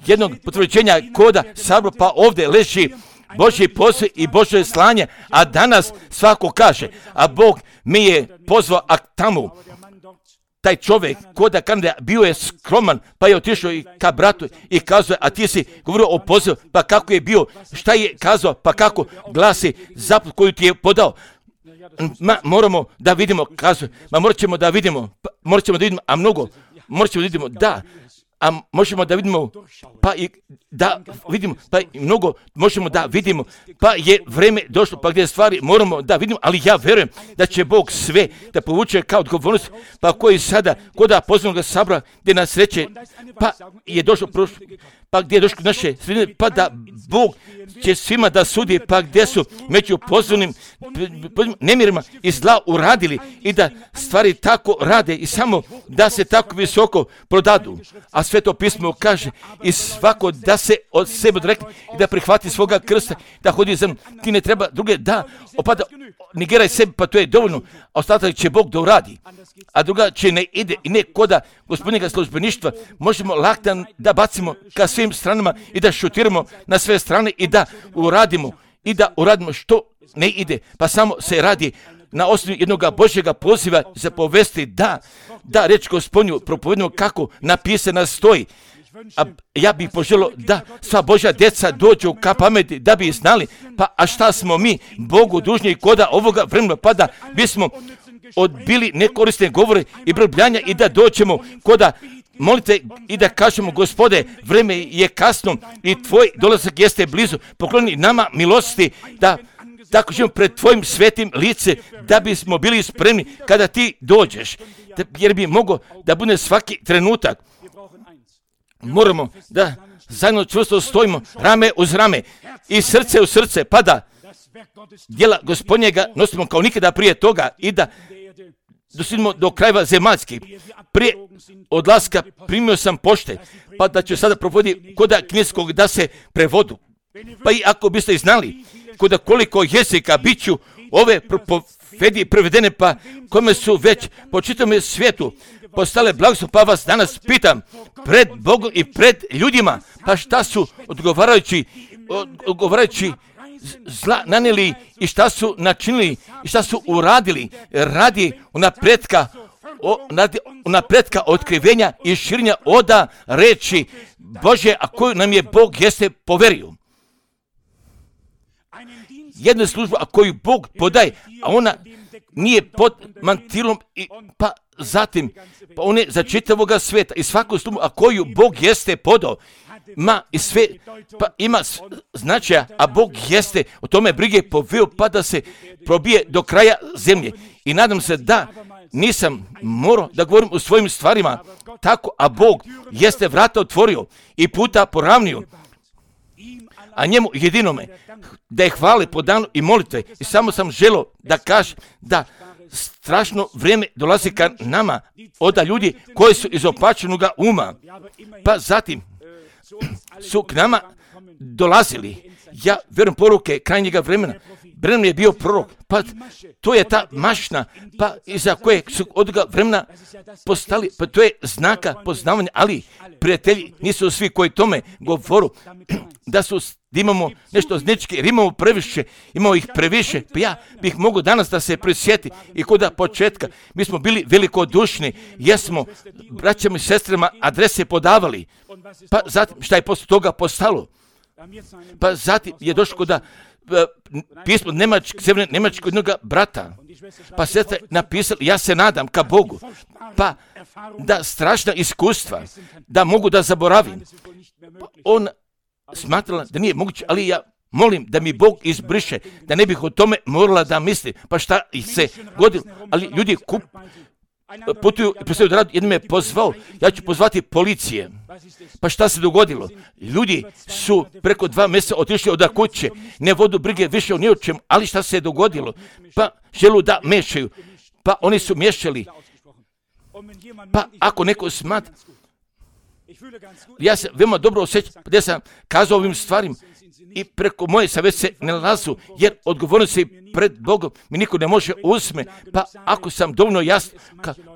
Jednog potvrđenja koda sabora, pa ovdje leži Božji posao i Božje slanje, a danas svako kaže, a Bog mi je pozvao, a tamo taj čovjek koda Kanada bio je skroman, pa je otišao i ka bratu i kazao, a ti si govorio o pozivu, pa kako je bio, šta je kazao, pa kako glasi zaput koju ti je podao. Moramo da vidimo, kazuje, morat ćemo da vidimo, a mnogo, morat ćemo da vidimo, da, a možemo da vidimo, pa i da vidimo, pa i mnogo možemo da vidimo, pa je vreme došlo, pa gdje stvari moramo da vidimo, ali ja vjerujem da će Bog sve da povuče kao odgovornost, pa koji sada, koda pozvanog sabora, gdje nas reče, pa je došlo prošlo, pa gdje je došlo naše sredine, pa da Bog će svima da sudi, pa gdje su među pozvanim nemirima i zla uradili i da stvari tako rade i samo da se tako visoko prodadu. A Sveto pismo kaže i svako da se od sebe odrekne i da prihvati svoga krsta, da hodi za mnom. Ti ne treba druge da opada, negiraj sebe, pa to je dovoljno, a ostatak će Bog da uradi. A druga će ne ide i ne koda gospodinjega službeništva, možemo laktan da bacimo ka svim stranama i da šutiramo na sve strane i da uradimo što ne ide, pa samo se radi na osnovi jednog Božjega poziva za povesti da reč Gospodnju propovedimo kako napisana stoji. A ja bih poželio da sva Božja djeca dođu ka pameti, da bi znali, pa a šta smo mi Bogu dužni koda ovoga vremena, pa da bismo odbili nekorisne govore i brbljanja i da dođemo koda molite i da kažemo, Gospode, vreme je kasno i tvoj dolazak jeste blizu, pokloni nama milosti da tako živimo pred tvojim svetim lice, da bismo bili spremni kada ti dođeš, jer bi mogao da bude svaki trenutak. moramo da zajedno čvrsto stojimo, rame uz rame i srce u srce, pa da djela Gospodnjega nosimo kao nikada prije toga i da dosidimo do krajeva zemaljskih. Prije odlaska primio sam pošte, pa da ću sada provoditi koda kineskog da se prevodu. Pa i ako biste znali koda koliko jezika bit ću ove profedije prevedene, pa kome su već po čitavom svijetu postale blagoslov, pa vas danas pitam pred Bogom i pred ljudima, pa šta su odgovarajući zla nanijeli i šta su načinili i šta su uradili radi unapretka otkrivenja i širenja oda reči Bože, a koju nam je Bog jeste poverio. Jednu službu, a koju Bog podaje, a ona nije pod mantilom, pa zatim, pa on je za čitavoga svijeta i svaku službu, a koju Bog jeste podao, i sve, pa ima značaja, a Bog jeste o tome brige poveo, pa da se probije do kraja zemlje. I nadam se da nisam morao da govorim o svojim stvarima tako, a Bog jeste vrata otvorio i puta poravnio, a njemu jedinome da je hvale po danu i molitve. I samo sam želio da kažem da strašno vrijeme dolazi ka nama od ljudi koji su iz opačenoga uma, pa zatim su k nama dolazili. Ja vjerujem poruke krajnjega vremena. Branham je bio prorok, pa to je ta mašna, pa iza koje su od toga vremena postali, pa to je znaka poznavanja, ali prijatelji nisu svi koji tome govoru da imamo nešto znečke, jer imamo ih previše, pa ja bih mogao danas da se prisjeti i kod početka mi smo bili velikodušni, jesmo braćama i sestrama adrese podavali, pa zatim šta je posle toga postalo, pa zatim je došlo kod pismo Sjeverne Njemačke jednog brata, pa sestra napisali, ja se nadam ka Bogu, pa da strašna iskustva, da mogu da zaboravim. On smatrala da nije moguće, ali ja molim da mi Bog izbriše, da ne bih o tome morala da mislim, pa šta se godilo, ali ljudi putuju i predstavljaju da radu, jednom je pozvao, ja ću pozvati policije. Pa šta se dogodilo? Ljudi su preko 2 mjeseca otišli od kuće, ne vodu brige više o ni o čemu, ali šta se je dogodilo? Pa želu da mešaju, pa oni su miješali. Pa ako neko smatra, ja se veoma dobro osjećam gdje sam kazao ovim stvarima i preko moje savjeti se ne lazu, jer odgovornosti pred Bogom mi niko ne može uzme, pa ako sam dovoljno jasan,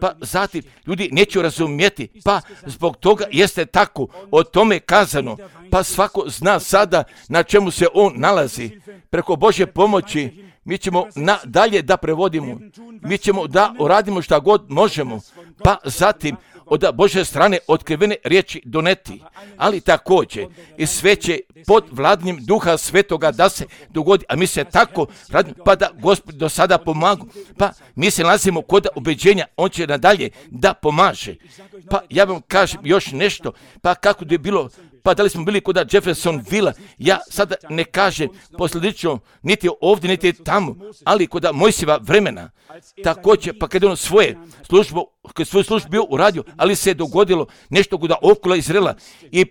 pa zatim ljudi neće razumjeti, pa zbog toga jeste tako o tome kazano, pa svako zna sada na čemu se on nalazi. Preko Božje pomoći mi ćemo nadalje da prevodimo, mi ćemo da uradimo šta god možemo, pa zatim od Božje strane otkrivene riječi doneti, ali također i sve će pod vladnjim Duha Svetoga da se dogodi, a mi se tako radimo, pa da Gospod do sada pomagu, pa mi se nalazimo kod ubeđenja, on će nadalje da pomaže. Pa ja vam kažem još nešto, pa kako je bilo, pa da li smo bili kod Jeffersonville, ja sada ne kažem posljedično niti ovdje, niti tamo, ali kod Mojsijeva vremena, također, pa kada je on svoju službu bio uradio, ali se je dogodilo nešto kod okolo Izraela i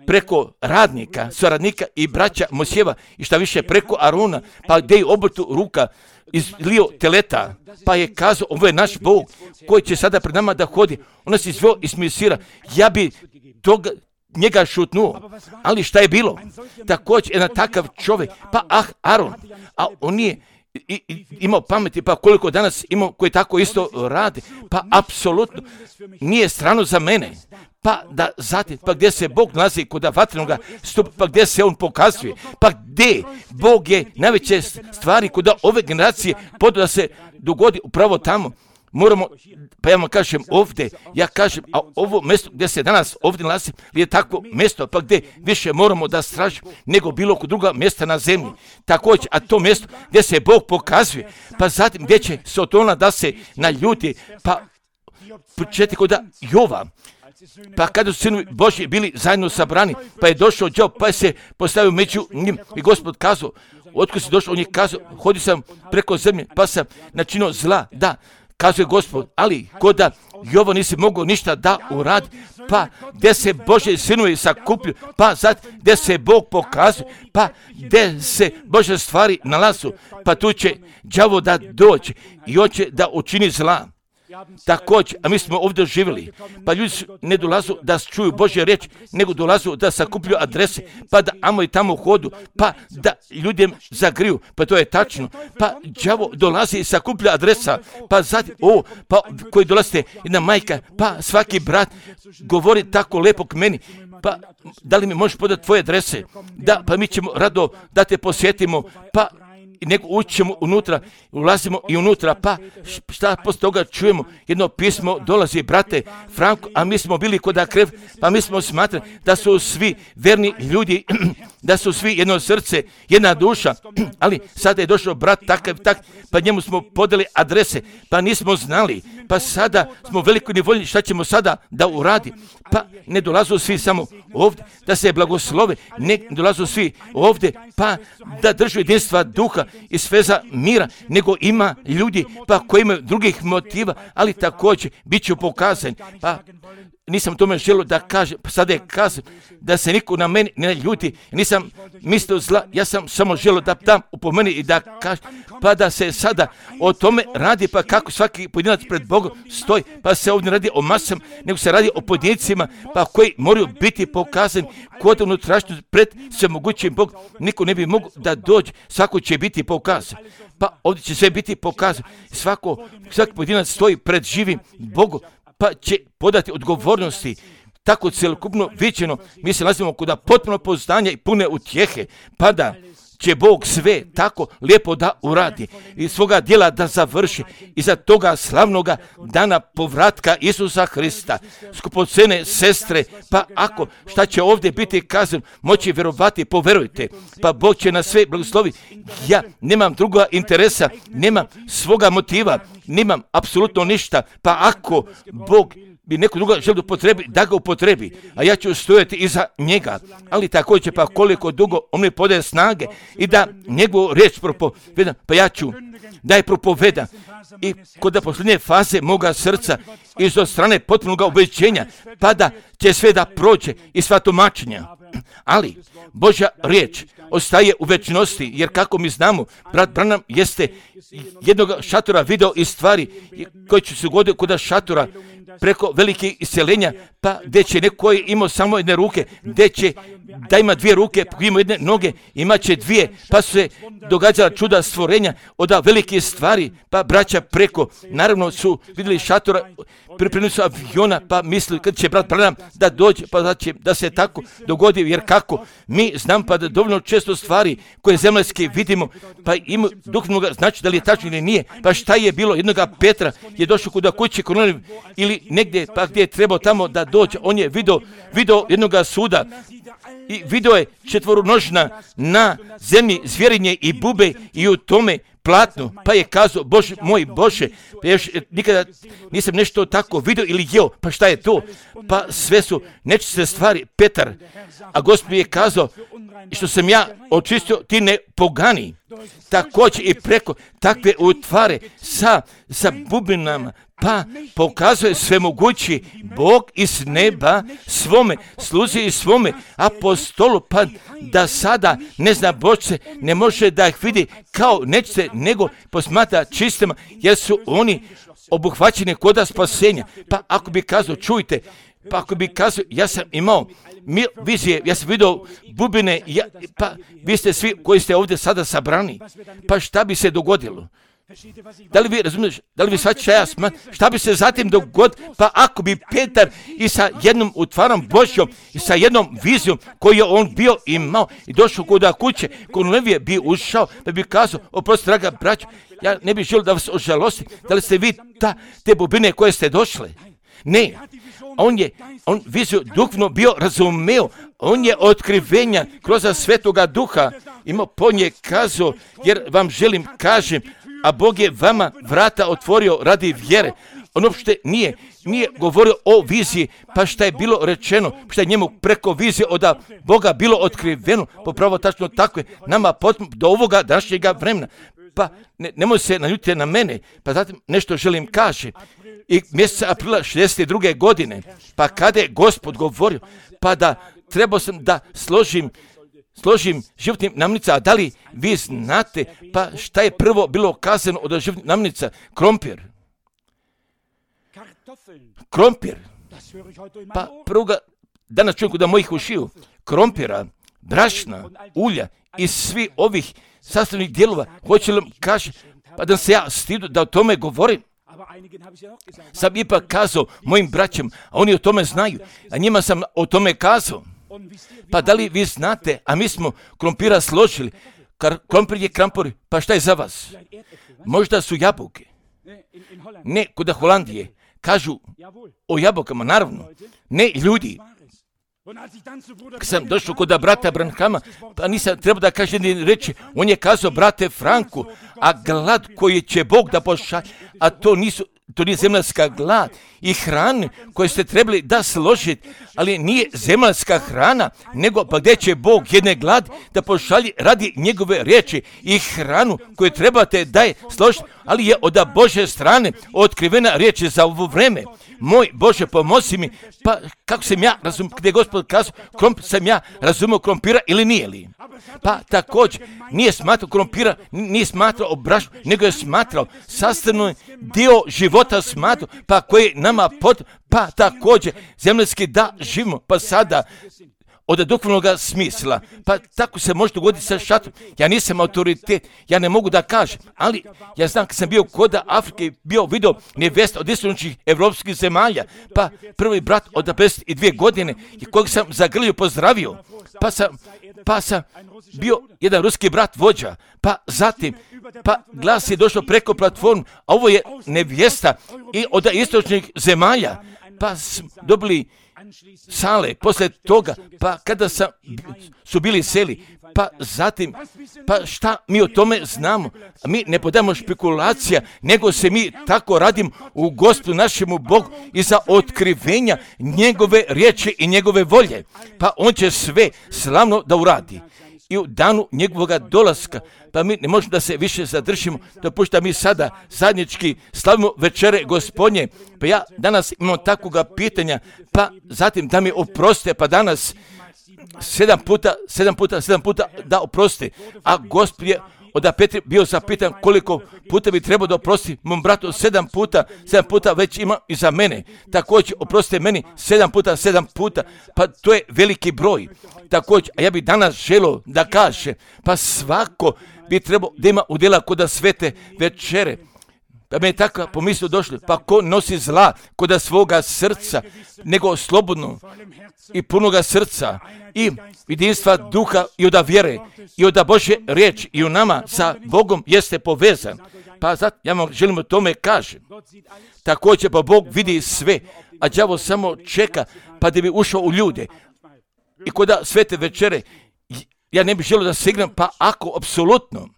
preko radnika, suradnika i braća Mojsijeva i šta više preko Aruna, pa gdje je obrtu ruka izlio teleta, pa je kazao, ovo je naš Bog koji će sada pred nama da hodi. On nas izveo iz Misira, ja bi njega šutnuo, ali šta je bilo? Također jedan takav čovjek, pa Aron, a on nije imao pameti, pa koliko danas imao koji tako isto radi, pa apsolutno nije strano za mene. Pa da zatim, pa gdje se Bog nalazi kod vatrenoga stupa, pa gdje se on pokazuje, pa gdje Bog je najveće stvari kod ove generacije podao da se dogodi upravo tamo. Moramo, pa ja vam kažem ovdje, ja kažem, a ovo mjesto gdje se danas ovdje nalazi je takvo mjesto, pa gdje više moramo da stražimo nego bilo kod druga mjesta na zemlji. Također, a to mjesto gdje se Bog pokazuje, pa zatim gdje će Sotona da se naljuti, pa početi kod Jova. Pa kada su sinovi Božji bili zajedno sabrani, pa je došao Job, pa je se postavio među njim i Gospod kazao, otkud si došao, on je kazao, hodio sam preko zemlje, pa sam načinio zla, da, kazuje Gospod, ali koda Jovo nisi mogao ništa da uradi, pa gdje se Bože sinovi sakuplju, pa sad gdje se Bog pokazuje, pa gdje se Bože stvari nalazu, pa tu će đavo da dođe i hoće da učini zla. Također, a mi smo ovdje živjeli, pa ljudi ne dolazu da čuju Božje riječ, nego dolazu da sakuplju adrese, pa da amo i tamo hodu, pa da ljudem zagriju, pa to je tačno, pa đavo dolazi i sakuplja adresa, pa zatim, pa koji dolazite, jedna majka, pa svaki brat govori tako lepo k meni, pa da li mi možeš podati tvoje adrese, da, pa mi ćemo rado da te posjetimo, pa nego ućemo unutra, ulazimo i unutra, pa šta poslije toga čujemo, jedno pismo dolazi, brate Franko, a mi smo bili kod Akrev, pa mi smo smatrali da su svi verni ljudi, da su svi jedno srce, jedna duša, ali sada je došao brat takav, pa njemu smo podali adrese, pa nismo znali, pa sada smo veliko nevoljni, šta ćemo sada da uradi, pa ne dolazu svi samo ovdje, da se blagoslove, ne dolazu svi ovdje, pa da držu jedinstva duha i sveza mira, nego ima ljudi pa koji imaju drugih motiva, ali također bit ću pokazan, pa nisam tome želio da kažem, sada je kazam da se niko na meni ne ljuti, nisam mislio zla, ja sam samo želio da dam upomeni i da kažem, pa da se sada o tome radi, pa kako svaki pojedinac pred Bogom stoji, pa se ovdje radi o masama, nego se radi o pojedincima, pa koji moraju biti pokazani kod unutrašnjosti pred svemogućim Bogom, niko ne bi mogao da dođe, svako će biti pokazan. Pa ovdje će sve biti pokazano. Svaki pojedinac stoji pred živim Bogom, pa će podati odgovornosti. Tako cjelokupno viđeno, mi se nalazimo kod potpuno poznanja i pune utjehe, pa da će Bog sve tako lijepo da uradi i svoga djela da završi i za toga slavnoga dana povratka Isusa Hrista. Skupocene sestre, pa ako šta će ovdje biti kazano, moći vjerovati, poverujte, pa Bog će na sve blagoslovi. Ja nemam druga interesa, nemam svoga motiva, nemam apsolutno ništa, pa ako Bog bi neko druga želi upotrebi, da ga upotrebi, a ja ću stojati iza njega, ali također pa koliko dugo on mi podaje snage i da njegovu riječ propovedam, pa ja ću da je propovedam i kod posljednje faze moga srca iz od strane potpunog ubeđenja, pa da će sve da prođe i sva tumačenja. Ali Božja riječ ostaje u večnosti, jer kako mi znamo, brat Branham jeste jednog šatora video i stvari koji će se goditi kod šatora preko velikih iseljenja, pa gdje će neko koji imao samo jedne ruke, gdje će da ima dvije ruke, ima jedne noge, imat će dvije, pa su se događala čuda stvorenja od velike stvari, pa braća preko, naravno su vidjeli šatora, pripremili su aviona, pa mislili kad će brat Branham da dođe, pa da se tako dogodi, jer kako mi znam pa da dovoljno često stvari koje zemaljske vidimo, pa ima duhovnoga, znači da li je tačno ili nije, pa šta je bilo, jednoga Petra je došao kod kuće Kornelije ili negdje, pa gdje je trebao tamo da dođe, on je video jednoga suda i video je četvoronožna na zemlji zvjerinje i bube i u tome platno, pa je kazao, Bože, moj Bože, pa još nikada nisam nešto tako vidio ili jeo, pa šta je to? Pa sve su nečiste stvari, Petar, a Gospod je kazao, što sam ja očistio, ti ne pogani. Također i preko takve utvare sa bubinama, pa pokazuje svemogući Bog iz neba svome sluzi i svome apostolu, pa da sada ne zna Božce, ne može da ih vidi kao nečice, nego posmatra čistima, jer su oni obuhvaćeni koda spasenja. Pa ako bi kazao, čujte, pa ako bi kazao, ja sam imao vizije, ja sam vidio bubine, pa vi ste svi koji ste ovdje sada sabrani, pa šta bi se dogodilo? Da li vi razumiješ, da li vi shvaćate šta bi se zatim dogodilo, pa ako bi Petar i sa jednom utvarom Božjom i sa jednom vizijom koju je on bio imao i došao kod kuće, Kornelije bi ušao, pa bi kazao, oprosti draga braćo, ja ne bih želio da vas ožalostim, da li ste vi te bubine koje ste došle? Ne, on viziju duhovno bio razumeo, on je otkrivenja kroz Svetoga Duha imao, po nje kazao, jer vam želim kažem, a Bog je vama vrata otvorio radi vjere. On uopšte nije govorio o viziji, pa šta je bilo rečeno, šta je njemu preko vizije od Boga bilo otkriveno, popravo tačno tako je nama do ovoga današnjega vremena. pa nemoj se naljutiti na mene, pa zatim nešto želim kaži. I mjeseca aprila 62. godine, pa kada je Gospod govorio, pa da trebao sam da složim životnim namirnica, a da li vi znate, pa šta je prvo bilo kazano od životnih namirnica? Krompir. Pa prvoga danas čujem kod mojih ušiju, krompira, brašna, ulja i svi ovih sastavnih dijelova, hoće li kaže, pa da se ja stidu da o tome govorim. Sam ipak kazao mojim braćem, a oni o tome znaju, a njima sam o tome kazao. Pa da li vi znate, a mi smo krompira složili, krompir je krampor, pa šta je za vas? Možda su jabuke. Ne, kod Holandije, kažu o jabukama, naravno. Ne, ljudi. Kad sam došao kod brata Branhama, pa nisam trebao da kažem ni reći, on je kazao, brate Franku, a glad koji će Bog da pošalje, a to nije zemaljska glad i hrana koju ste trebali da složiti, ali nije zemaljska hrana, nego pa gdje će Bog jedne glad da pošalje radi njegove riječi i hranu koju trebate da je složiti, ali je od Božje strane otkrivena riječ za ovo vreme. Moj Bože, pomozi mi, pa kako sam ja razumio, gdje je Gospod kazao, sam ja razumio krompira ili nije li? Pa također, nije smatrao krompira, nije smatrao brašnu, nego je smatrao sastavni dio života smatrao, pa koji nama pa također zemaljski da živimo, pa sada od duhovnog smisla. Pa tako se može dogoditi sa šatom. Ja nisam autoritet, ja ne mogu da kažem, ali ja znam kad sam bio kod Afrike, vidio nevesta od istočnih evropskih zemalja, pa prvi brat od 52 godine, kojeg sam zagrlio pozdravio, pa sam bio jedan ruski brat vođa, pa zatim, pa glas je došao preko platformu, a ovo je nevjesta i od istočnih zemalja, pa dobili sale, poslije toga, pa kada su bili seli, pa zatim, pa šta mi o tome znamo? Mi ne podamo špekulacija, nego se mi tako radimo u Gospodu našemu Bogu i za otkrivenja njegove riječi i njegove volje. Pa on će sve slavno da uradi. I u danu njegovoga dolaska, pa mi ne možemo da se više zadržimo, dopušta mi sada zajednički slavimo večere Gospodnje. Pa ja danas imam takvoga pitanja, pa zatim da mi oproste, pa danas 7 puta da oproste. A Gospod je od Petri bio zapitan koliko puta bi trebao da oprosti mom bratu 7 puta već ima i za mene. Također oprostite meni 7 puta, pa to je veliki broj. Također, a ja bih danas želio da kaže, pa svako bi trebao da ima udjela kod svete večere. Pa me je tako pomislio došli, pa ko nosi zla kod svoga srca, nego slobodno i punoga srca i jedinstva duha i od vjere i od Božje riječi i u nama sa Bogom jeste povezan. Pa zato ja vam želim o tome kažem. Također pa Bog vidi sve, a đavo samo čeka pa da bi ušao u ljude. I kod svete večere ja ne bih želio da se igram, pa ako apsolutno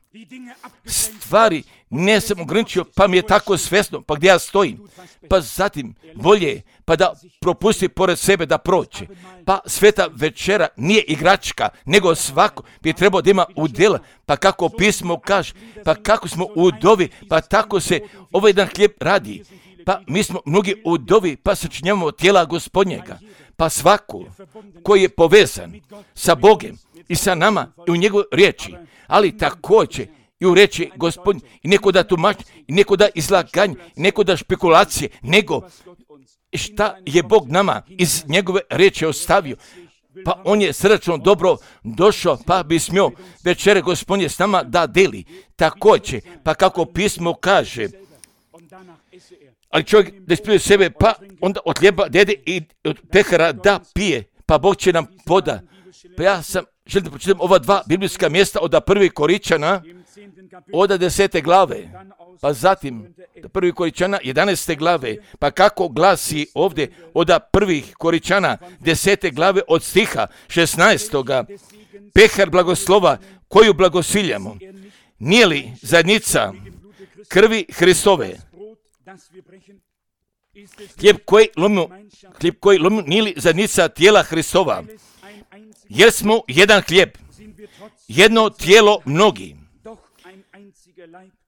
stvari ne sam ograničio, pa mi je tako svjesno, pa gdje ja stojim, pa zatim bolje, pa da propusti pored sebe da prođe. Pa sveta večera nije igračka, nego svako bi trebao da ima udjela, pa kako pismo kaže, pa kako smo udovi, pa tako se ovaj jedan hljeb radi. Pa mi smo mnogi udovi, pa sačinjavamo tijela Gospodnjega. Pa svako koji je povezan sa Bogem i sa nama i u njegovoj riječi, ali također i u riječi Gospodnje, i neko da tumači, i neko da izlaganje, i neko da špekulacije, nego šta je Bog nama iz njegove riječi ostavio. Pa on je srdačno dobro došao, pa bi smio večere Gospodnje s nama da deli. Također, pa kako pismo kaže, ali čovjek da ispljuje sebe, pa onda od hljeba dede i od pehara da pije, pa Bog će nam poda. Pa ja sam želim da pročitam ova dva biblijska mjesta od 1. Koričana, od 10. glave, pa zatim 1. Koričana 11. glave, pa kako glasi ovdje od 1. Koričana 10. glave od stiha 16. Pehar blagoslova koju blagosiljamo, nije li zajednica krvi Hristove? Hljeb koji lomimo nije li zajednica tijela Hristova? Jer smo jedan hljeb, jedno tijelo mnogi.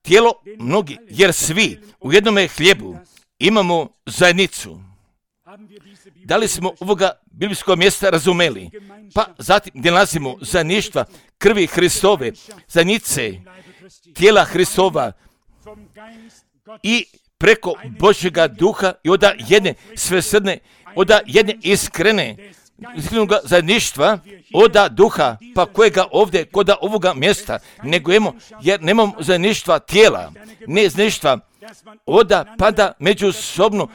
tijelo mnogi, jer svi u jednome hljebu imamo zajednicu. Da li smo ovoga biblijskog mjesta razumeli? Pa zatim gdje nalazimo zajedništva krvi Hristove, zajednice tijela Hristova i preko Božjega duha i od jedne svesrdne, od jedne iskrene zajedništva, od duha, pa kojega ovdje, kod ovoga mjesta, nego imamo, jer nemamo zajedništva tijela, ne zajedništva, oda pada međusobno,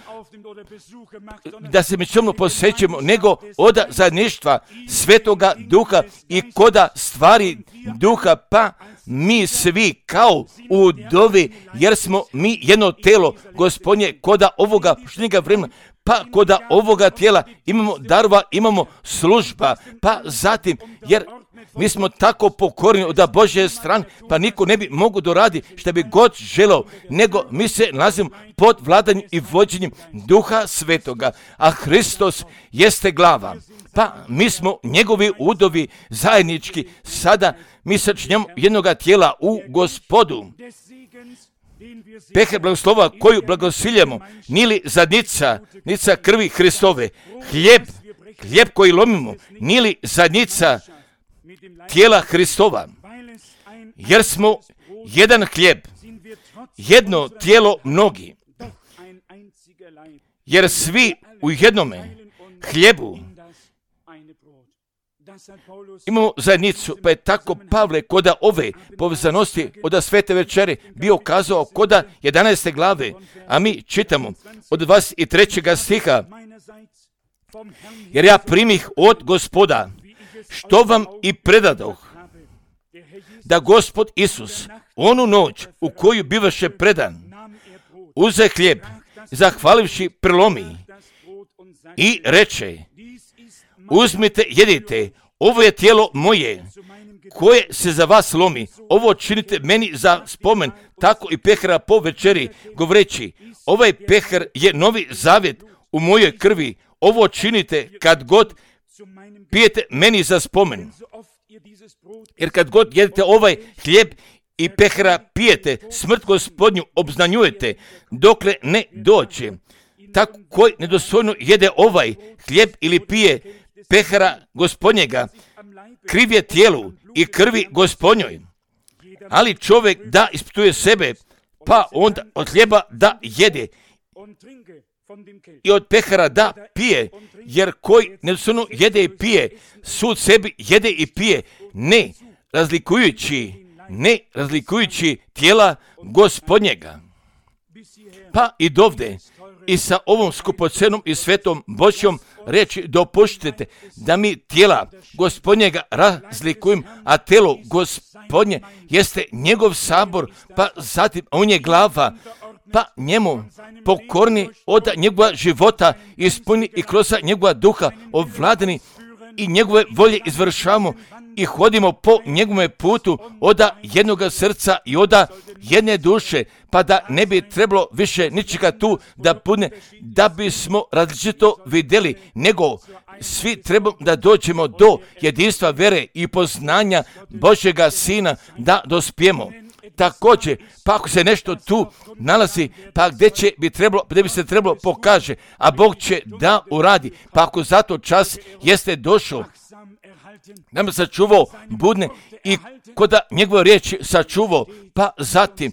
da se međusobno posjećujemo, nego oda zajedništva Svetoga Duha i koda stvari Duha, pa mi svi kao u dovi, jer smo mi jedno telo, Gospodnje, koda ovoga poštenjega vremena, pa koda ovoga tijela imamo darova, imamo služba, pa zatim, jer mi smo tako pokorni od Božje strane, pa niko ne bi mogu doradi što bi god želao, nego mi se nalazimo pod vladanjem i vođenjem Duha Svetoga, a Hristos jeste glava. Pa mi smo njegovi udovi zajednički, sada mi sačinjamo jednoga tijela u Gospodu. Pehe blagoslova koju blagosiljamo, nili zadnica, nica krvi Hristove, hljeb koji lomimo, nili zadnica tijela Hristova, jer smo jedan hljeb, jedno tijelo mnogi, jer svi u jednome hljebu imamo zajednicu, pa je tako Pavle koda ove povezanosti od svete večere bio kazao koda 11. glave, a mi čitamo od 23. stiha, jer ja primih od Gospoda, što vam i predadoh, da Gospod Isus, onu noć u koju bivaše predan, uze hljeb, zahvalivši prelomi i reče, uzmite, jedite, ovo je tijelo moje, koje se za vas lomi, ovo činite meni za spomen, tako i pehara po večeri, govoreći, ovaj pehar je novi zavjet u mojoj krvi, ovo činite kad god pijete meni za spomen. Jer kad god jedete ovaj hljeb i pehara pijete, smrt Gospodnju obznanjujete, dokle ne dođe. Tako koji nedostojno jede ovaj hljeb ili pije pehara Gospodnjega, kriv je tijelu i krvi Gospodnjoj. Ali čovjek da ispituje sebe, pa onda od hljeba da jede i od pehara da pije, jer koji nedostojno jede i pije, sud sebi jede i pije, ne razlikujući tijela Gospodnjega. Pa i dovde, i sa ovom skupocenom i svetom Božjom reći, dopuštite da mi tijela Gospodnjega razlikujem, a telo Gospodnje jeste njegov sabor, pa zatim on je glava, pa njemu pokorni od njegova života ispuni i kroz njegova duha ovladani i njegove volje izvršavamo i hodimo po njegovome putu od jednoga srca i od jedne duše, pa da ne bi trebalo više ničega tu da bude, da bismo različito vidjeli, nego svi trebamo da dođemo do jedinstva vere i poznanja Božjega Sina, da dospijemo. Također, pa ako se nešto tu nalazi, pa gdje bi se trebalo pokaže, a Bog će da uradi, pa ako zato čas jeste došao, nam sačuvao budne i koda njegove riječi sačuvao, pa zatim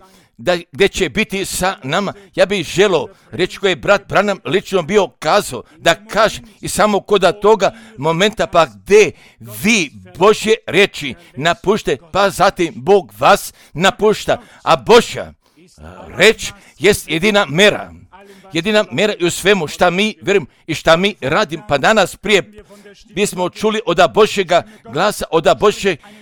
gdje će biti sa nama. Ja bih želio reći koje je brat Branham lično bio kazao, da kaže i samo koda toga momenta, pa gdje vi Božje riječi napušte, pa zatim Bog vas napušta, a Božja reč jest jedina mera i u svemu šta mi vjerujemo i šta mi radimo. Pa danas prije bismo čuli od Božjega glasa, od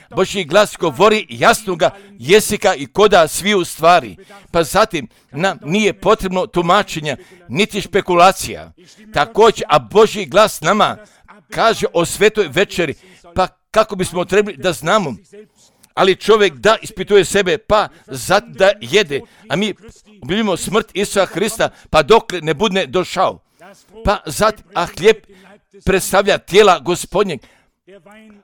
Božji glas govori jasnoga jezika i koda svi u stvari. Pa zatim nam nije potrebno tumačenja, niti špekulacija. Također, a Božji glas nama kaže o svetoj večeri, pa kako bismo trebali da znamo. Ali čovjek da ispituje sebe, pa zatim da jede, a mi obilježavamo smrt Isusa Hrista, pa dokle ne bude došao. Pa zatim, a hljeb predstavlja tijela Gospodnjeg,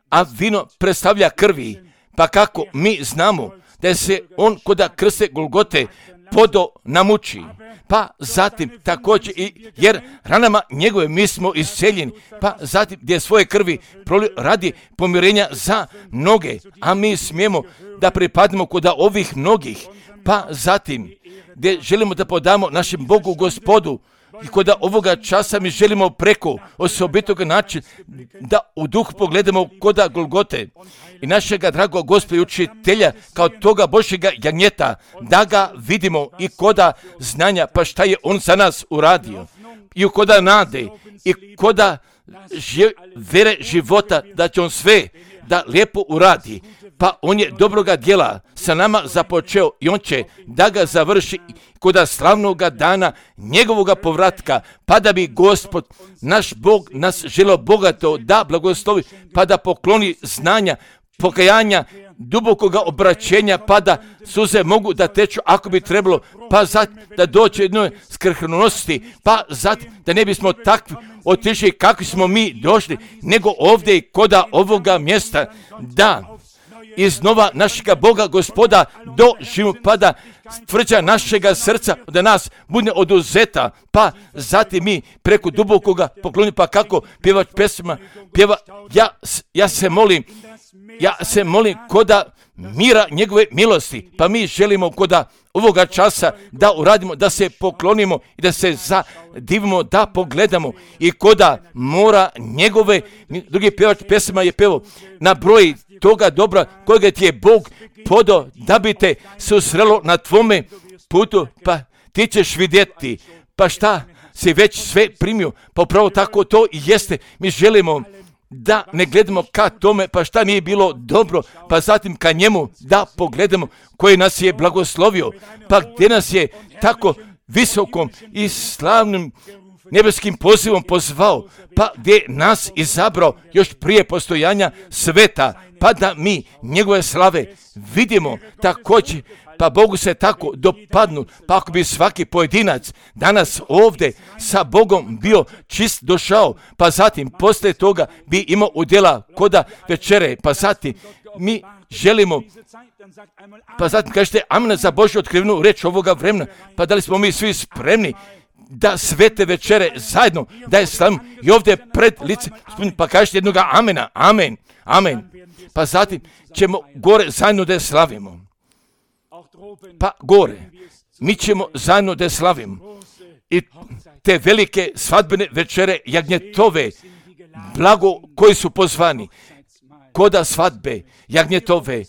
a vino predstavlja krvi. Pa kako mi znamo da se on koda krste Golgote podo namuči. Pa zatim također jer ranama njegove mi smo isceljeni, pa zatim gdje svoje krvi prolio radi pomirenja za mnoge, a mi smijemo da pripadnemo koda ovih mnogih, pa zatim gdje želimo da podamo našem Bogu Gospodu i koda ovoga časa mi želimo preko osobitog načina da u duh pogledamo koda Golgote i našega dragog Gospoda i učitelja kao toga Božjega jagnjeta, da ga vidimo i koda znanja, pa šta je on za nas uradio i koda nade i koda vere života da će on sve da lijepo uradi. Pa on je dobroga djela sa nama započeo i on će da ga završi koda slavnoga dana njegovoga povratka, pa da bi Gospod, naš Bog, nas želeo bogato da blagoslovi, pa da pokloni znanja, pokajanja, dubokoga obraćenja, pa da suze mogu da teču ako bi trebalo, pa zatim da doće jednoj skrhnunosti, pa zatim da ne bismo takvi otišli kakvi smo mi došli, nego ovdje i koda ovoga mjesta, da iznova našega Boga Gospoda doživimo, pa da tvrđa našega srca da nas bude oduzeta, pa zatim mi preko dubokoga pokloni, pa kako pjevač pesma pjeva, ja se molim koda mira njegove milosti, pa mi želimo koda ovoga časa da uradimo, da se poklonimo i da se zadivimo, da pogledamo i koda mora njegove, drugi pjevač pesma je pevao, na broji toga dobra kojega ti je Bog podao da bi te susrelo na tvome putu, pa ti ćeš vidjeti, pa šta si već sve primio, pa upravo tako to i jeste. Mi želimo da ne gledamo ka tome, pa šta nije bilo dobro, pa zatim ka njemu da pogledamo koji nas je blagoslovio, pa gdje nas je tako visokom i slavnim nebeskim pozivom pozvao, pa gdje nas izabrao još prije postojanja sveta, pa da mi njegove slave vidimo također, pa Bogu se tako dopadnu, pa ako bi svaki pojedinac danas ovdje sa Bogom bio čist došao, pa zatim poslije toga bi imao udjela koda večere, pa zatim mi želimo, pa zatim kažete amen za Božju otkrivenu reč ovoga vremena, pa da li smo mi svi spremni da svete večere zajedno, da je slavimo i ovdje pred lice, pa kažete jednoga amena, amen, amen, pa zatim ćemo gore zajedno da je slavimo. Pa gore, mi ćemo zajedno da je slavimo i te velike svadbene večere jagnjetove, blago koji su pozvani, koda svadbe jagnjetove,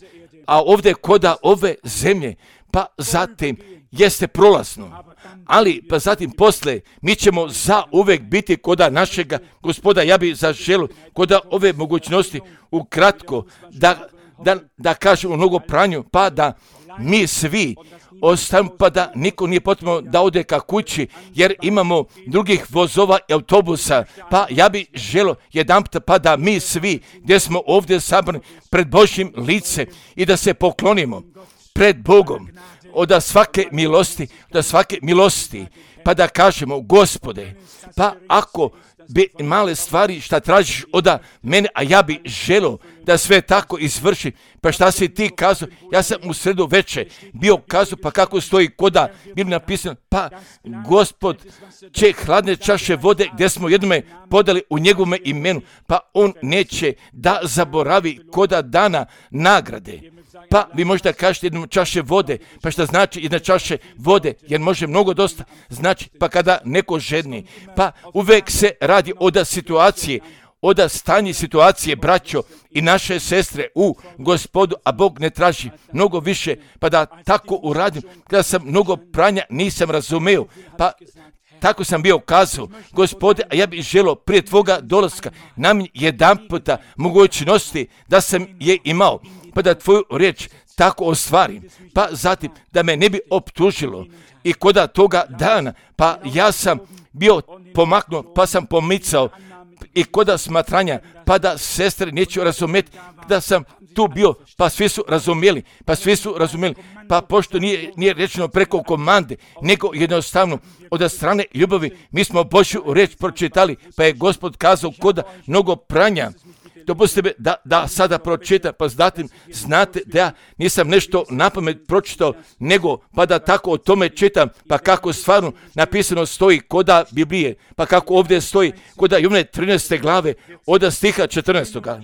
a ovdje koda ove zemlje, pa zatim jeste prolazno, ali pa zatim posle mi ćemo za uvek biti koda našega Gospoda. Ja bi zaželio koda ove mogućnosti ukratko da kažemo mnogo pranju, pa da mi svi ostavimo, pa da niko nije potrebno da ode ka kući, jer imamo drugih vozova i autobusa, pa ja bi želio jedanput, pa da mi svi gdje smo ovdje sabrani pred Božjim lice i da se poklonimo pred Bogom od svake milosti, pa da kažemo Gospode, pa ako bi male stvari šta tražiš od mene, a ja bi želio da sve tako izvrši, pa šta si ti kazao, ja sam u sredu veče bio kazao, pa kako stoji koda bilo napisano, pa Gospod će hladne čaše vode gdje smo jednome podali u njegovome imenu, pa on neće da zaboravi koda dana nagrade. Pa vi možete kažete jednu čaše vode, pa šta znači jedna čaše vode, jer može mnogo dosta znači, pa kada neko žedni, pa uvek se radi od situacije, od stanje situacije, braćo i naše sestre u Gospodu, a Bog ne traži mnogo više, pa da tako uradim, kada sam mnogo pranja nisam razumeo, pa tako sam bio kazao, Gospode, a ja bih želio prije tvoga dolaska nam jedan puta mogućnosti da sam je imao, pa da tvoju riječ tako ostvarim, pa zatim da me ne bi optužilo i koda toga dana, pa ja sam bio pomaknuo, pa sam pomicao i koda smatranja, pa da sestre neću razumjeti, da sam tu bio, pa svi su razumjeli, pa pošto nije rečeno preko komande, nego jednostavno od strane ljubavi, mi smo Božju riječ pročitali, pa je Gospod kazao koda mnogo pranja, dopustite mi da sada pročitam, pa znate da ja nisam nešto napamet pročitao, nego pa da tako o tome čitam, pa kako stvarno napisano stoji koda Biblije, pa kako ovdje stoji koda Jovane 13. glave od stiha 14.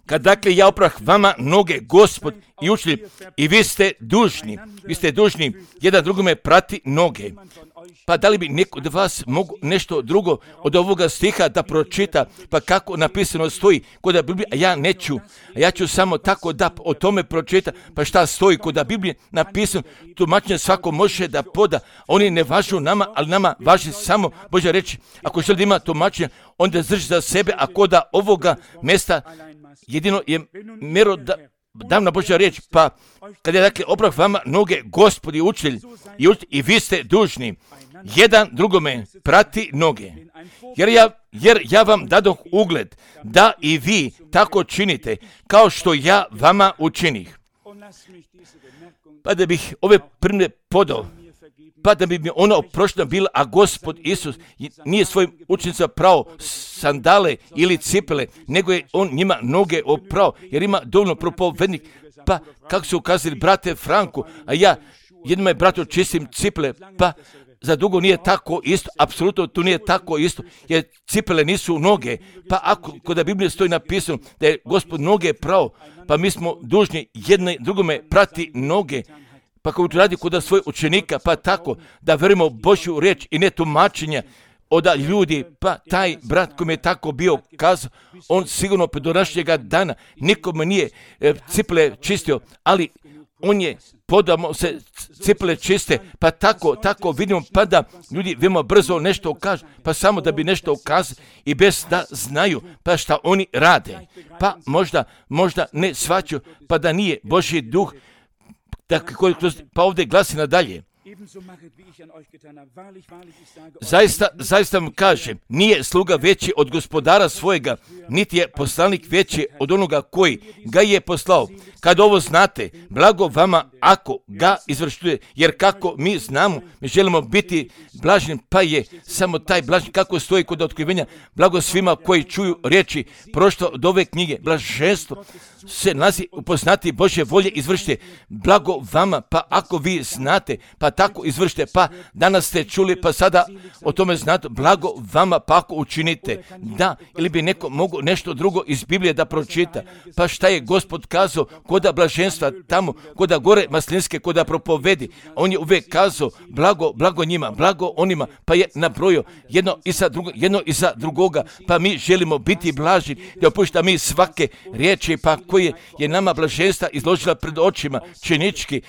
Kad dakle ja oprah vama noge, Gospod i učitelj, i vi ste dužni jedan drugome prati noge. Pa da li bi neko od vas mogu nešto drugo od ovoga stiha da pročita, pa kako napisano stoji kod Biblije, a ja neću. A ja ću samo tako da o tome pročita, pa šta stoji kod Biblije napisano, tumačenje svako može da poda. Oni ne važu nama, ali nama važi samo Božja reći. Ako želi da ima tumačenje, onda drži za sebe, a kod ovoga mjesta jedino je mjerodavna Božja riječ, pa kad je dakle oprah vama noge, Gospod i učitelj, i vi ste dužni jedan drugome prati noge. Jer ja vam dadoh ugled da i vi tako činite kao što ja vama učinih. Pa da bih ove primjere podao, pa da bi mi ono oprošteno bilo, a Gospod Isus nije svojim učenicima prao sandale ili cipele, nego je on njima noge oprao, jer ima dovoljno propovednik. Pa kako su ukazali brate Franku, a ja jednom je bratu čistim cipele, pa za dugo nije tako isto, apsolutno tu nije tako isto, jer cipele nisu noge, pa ako kod Biblije stoji napisano da je Gospod noge prao, pa mi smo dužni jedne drugome prati noge, pa kako to radi kod svojih učenika, pa tako da verujemo Božju riječ i ne tumačenja od ljudi, pa taj brat koji je tako bio kazao, on sigurno do današnjega dana nikome nije cipele čistio, ali on je podamo se cipele čiste, pa tako vidimo, pa da ljudi veoma brzo nešto kažu, pa samo da bi nešto ukazali i bez da znaju, pa šta oni rade, pa možda ne shvaćaju, pa da nije Božji duh, pa ovdje glasi nadalje. Zaista vam kažem, nije sluga veći od gospodara svojega, niti je poslanik veći od onoga koji ga je poslao. Kad ovo znate, blago vama ako ga izvršuje, jer kako mi znamo, mi želimo biti blažni, pa je samo taj blažni, kako stoji kod otkrivenja, blago svima koji čuju riječi prošto od ove knjige, blaženstvo se nalazi upoznati Božje volje, izvršite. Blago vama, pa ako vi znate, pa tako izvršite, pa danas ste čuli, pa sada o tome znate, blago vama, pa ako učinite. Da, ili bi neko mogu nešto drugo iz Biblije da pročita, pa šta je Gospod kazao koda blaženstva tamo, koda gore maslinske, koda propovedi, on je uvijek kazao blago njima, blago onima, pa je nabrojio jedno iza drugoga, pa mi želimo biti blaži, da opušta mi svake riječi, pa koje je nama blaženstva izložila pred očima činički,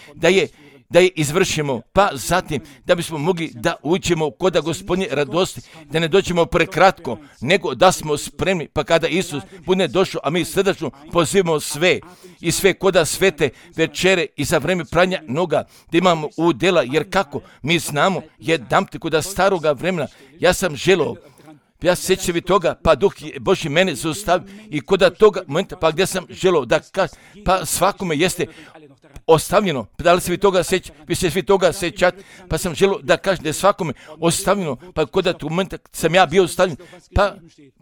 da je izvršimo, pa zatim da bismo mogli da uđemo koda Gospodnje radosti, da ne dođemo prekratko, nego da smo spremni, pa kada Isus bude došao, a mi srdačno pozivamo sve koda svete večere i za vreme pranja noga, da imamo udjela, jer kako mi znamo, jedanput koda staroga vremena, ja sam želio, ja se sjećam toga, pa Duh Božji mene zaustavio i kod toga momenta, pa gdje sam želio da kažem, pa svakome jeste ostavljeno, da li se vi se svi toga sjećate, pa sam želio da kažem da je svakome ostavljeno, pa kod tog momenta sam ja bio ostavljen,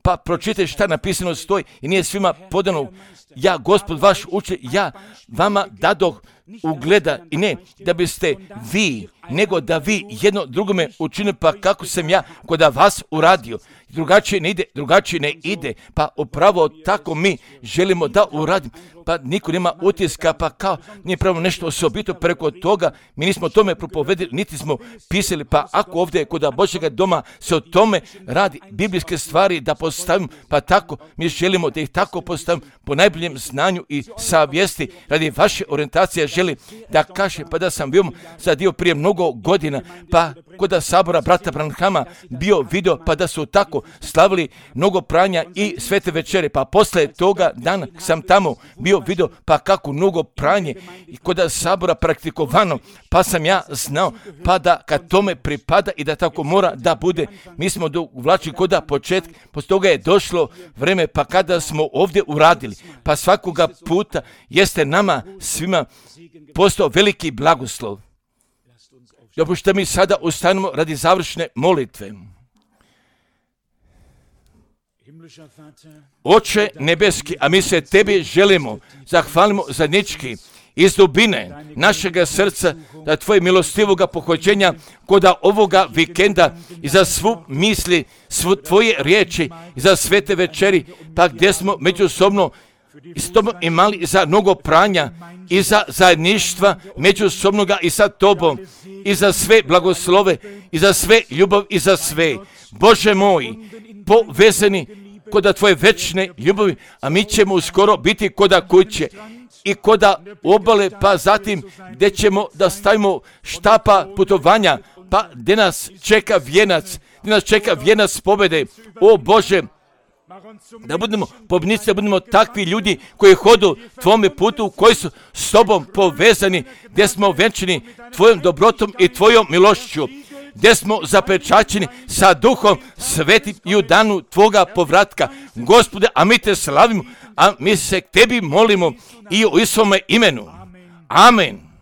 pa pročitajte šta napisano stoji i nije svima podano, ja Gospod vaš uče, ja vama dadoh ugleda i ne da biste vi, nego da vi jedno drugome učinili, pa kako sam ja kod vas uradio. Drugačije ne ide, pa upravo tako mi želimo da uradimo, pa niko nema utiska, pa kao nije pravo nešto osobito preko toga, mi nismo o tome propovedili, niti smo pisali, pa ako ovdje kod Božjega doma se o tome radi, biblijske stvari da postavimo, pa tako mi želimo da ih tako postavimo po najboljem znanju i savjesti, radi vaše orijentacije želim da kažem, pa da sam bio zadio prije mnogo godina, pa kod sabora brata Branhama bio video, pa da su tako slavili mnogo pranja i svete večere, pa posle toga dana sam tamo bio video, pa kako mnogo pranje i kod sabora praktikovano, pa sam ja znao, pa da kad tome pripada i da tako mora da bude, mi smo uvlačili kod početka, poslije toga je došlo vreme, pa kada smo ovdje uradili, pa svakoga puta jeste nama svima postao veliki blagoslov. Dopušte mi sada ustanemo radi završne molitve. Oče nebeski, a mi se tebi želimo, zahvalimo zajednički iz dubine našega srca da tvoje milostivoga pohođenja koda ovoga vikenda i za svu misli, tvoje riječi i za svete večeri, pa gdje smo međusobno s tobom imali i za mnogo pranja i za zajedništva međusobnoga i sa tobom i za sve blagoslove i za sve ljubav i za sve. Bože moj, povezani koda tvoje večne ljubavi, a mi ćemo uskoro biti koda kuće i koda obale, pa zatim gdje ćemo da stavimo štapa putovanja, pa gdje nas čeka vijenac pobjede. O Bože, da budemo pobjednici, da budemo takvi ljudi koji hodu tvome putu, koji su s tobom povezani, gdje smo venčani tvojom dobrotom i tvojom milošću, gdje smo zapečaćeni sa Duhom Svetim i u danu tvoga povratka. Gospode, a mi te slavimo, a mi se k tebi molimo i u Isovome imenu. Amen.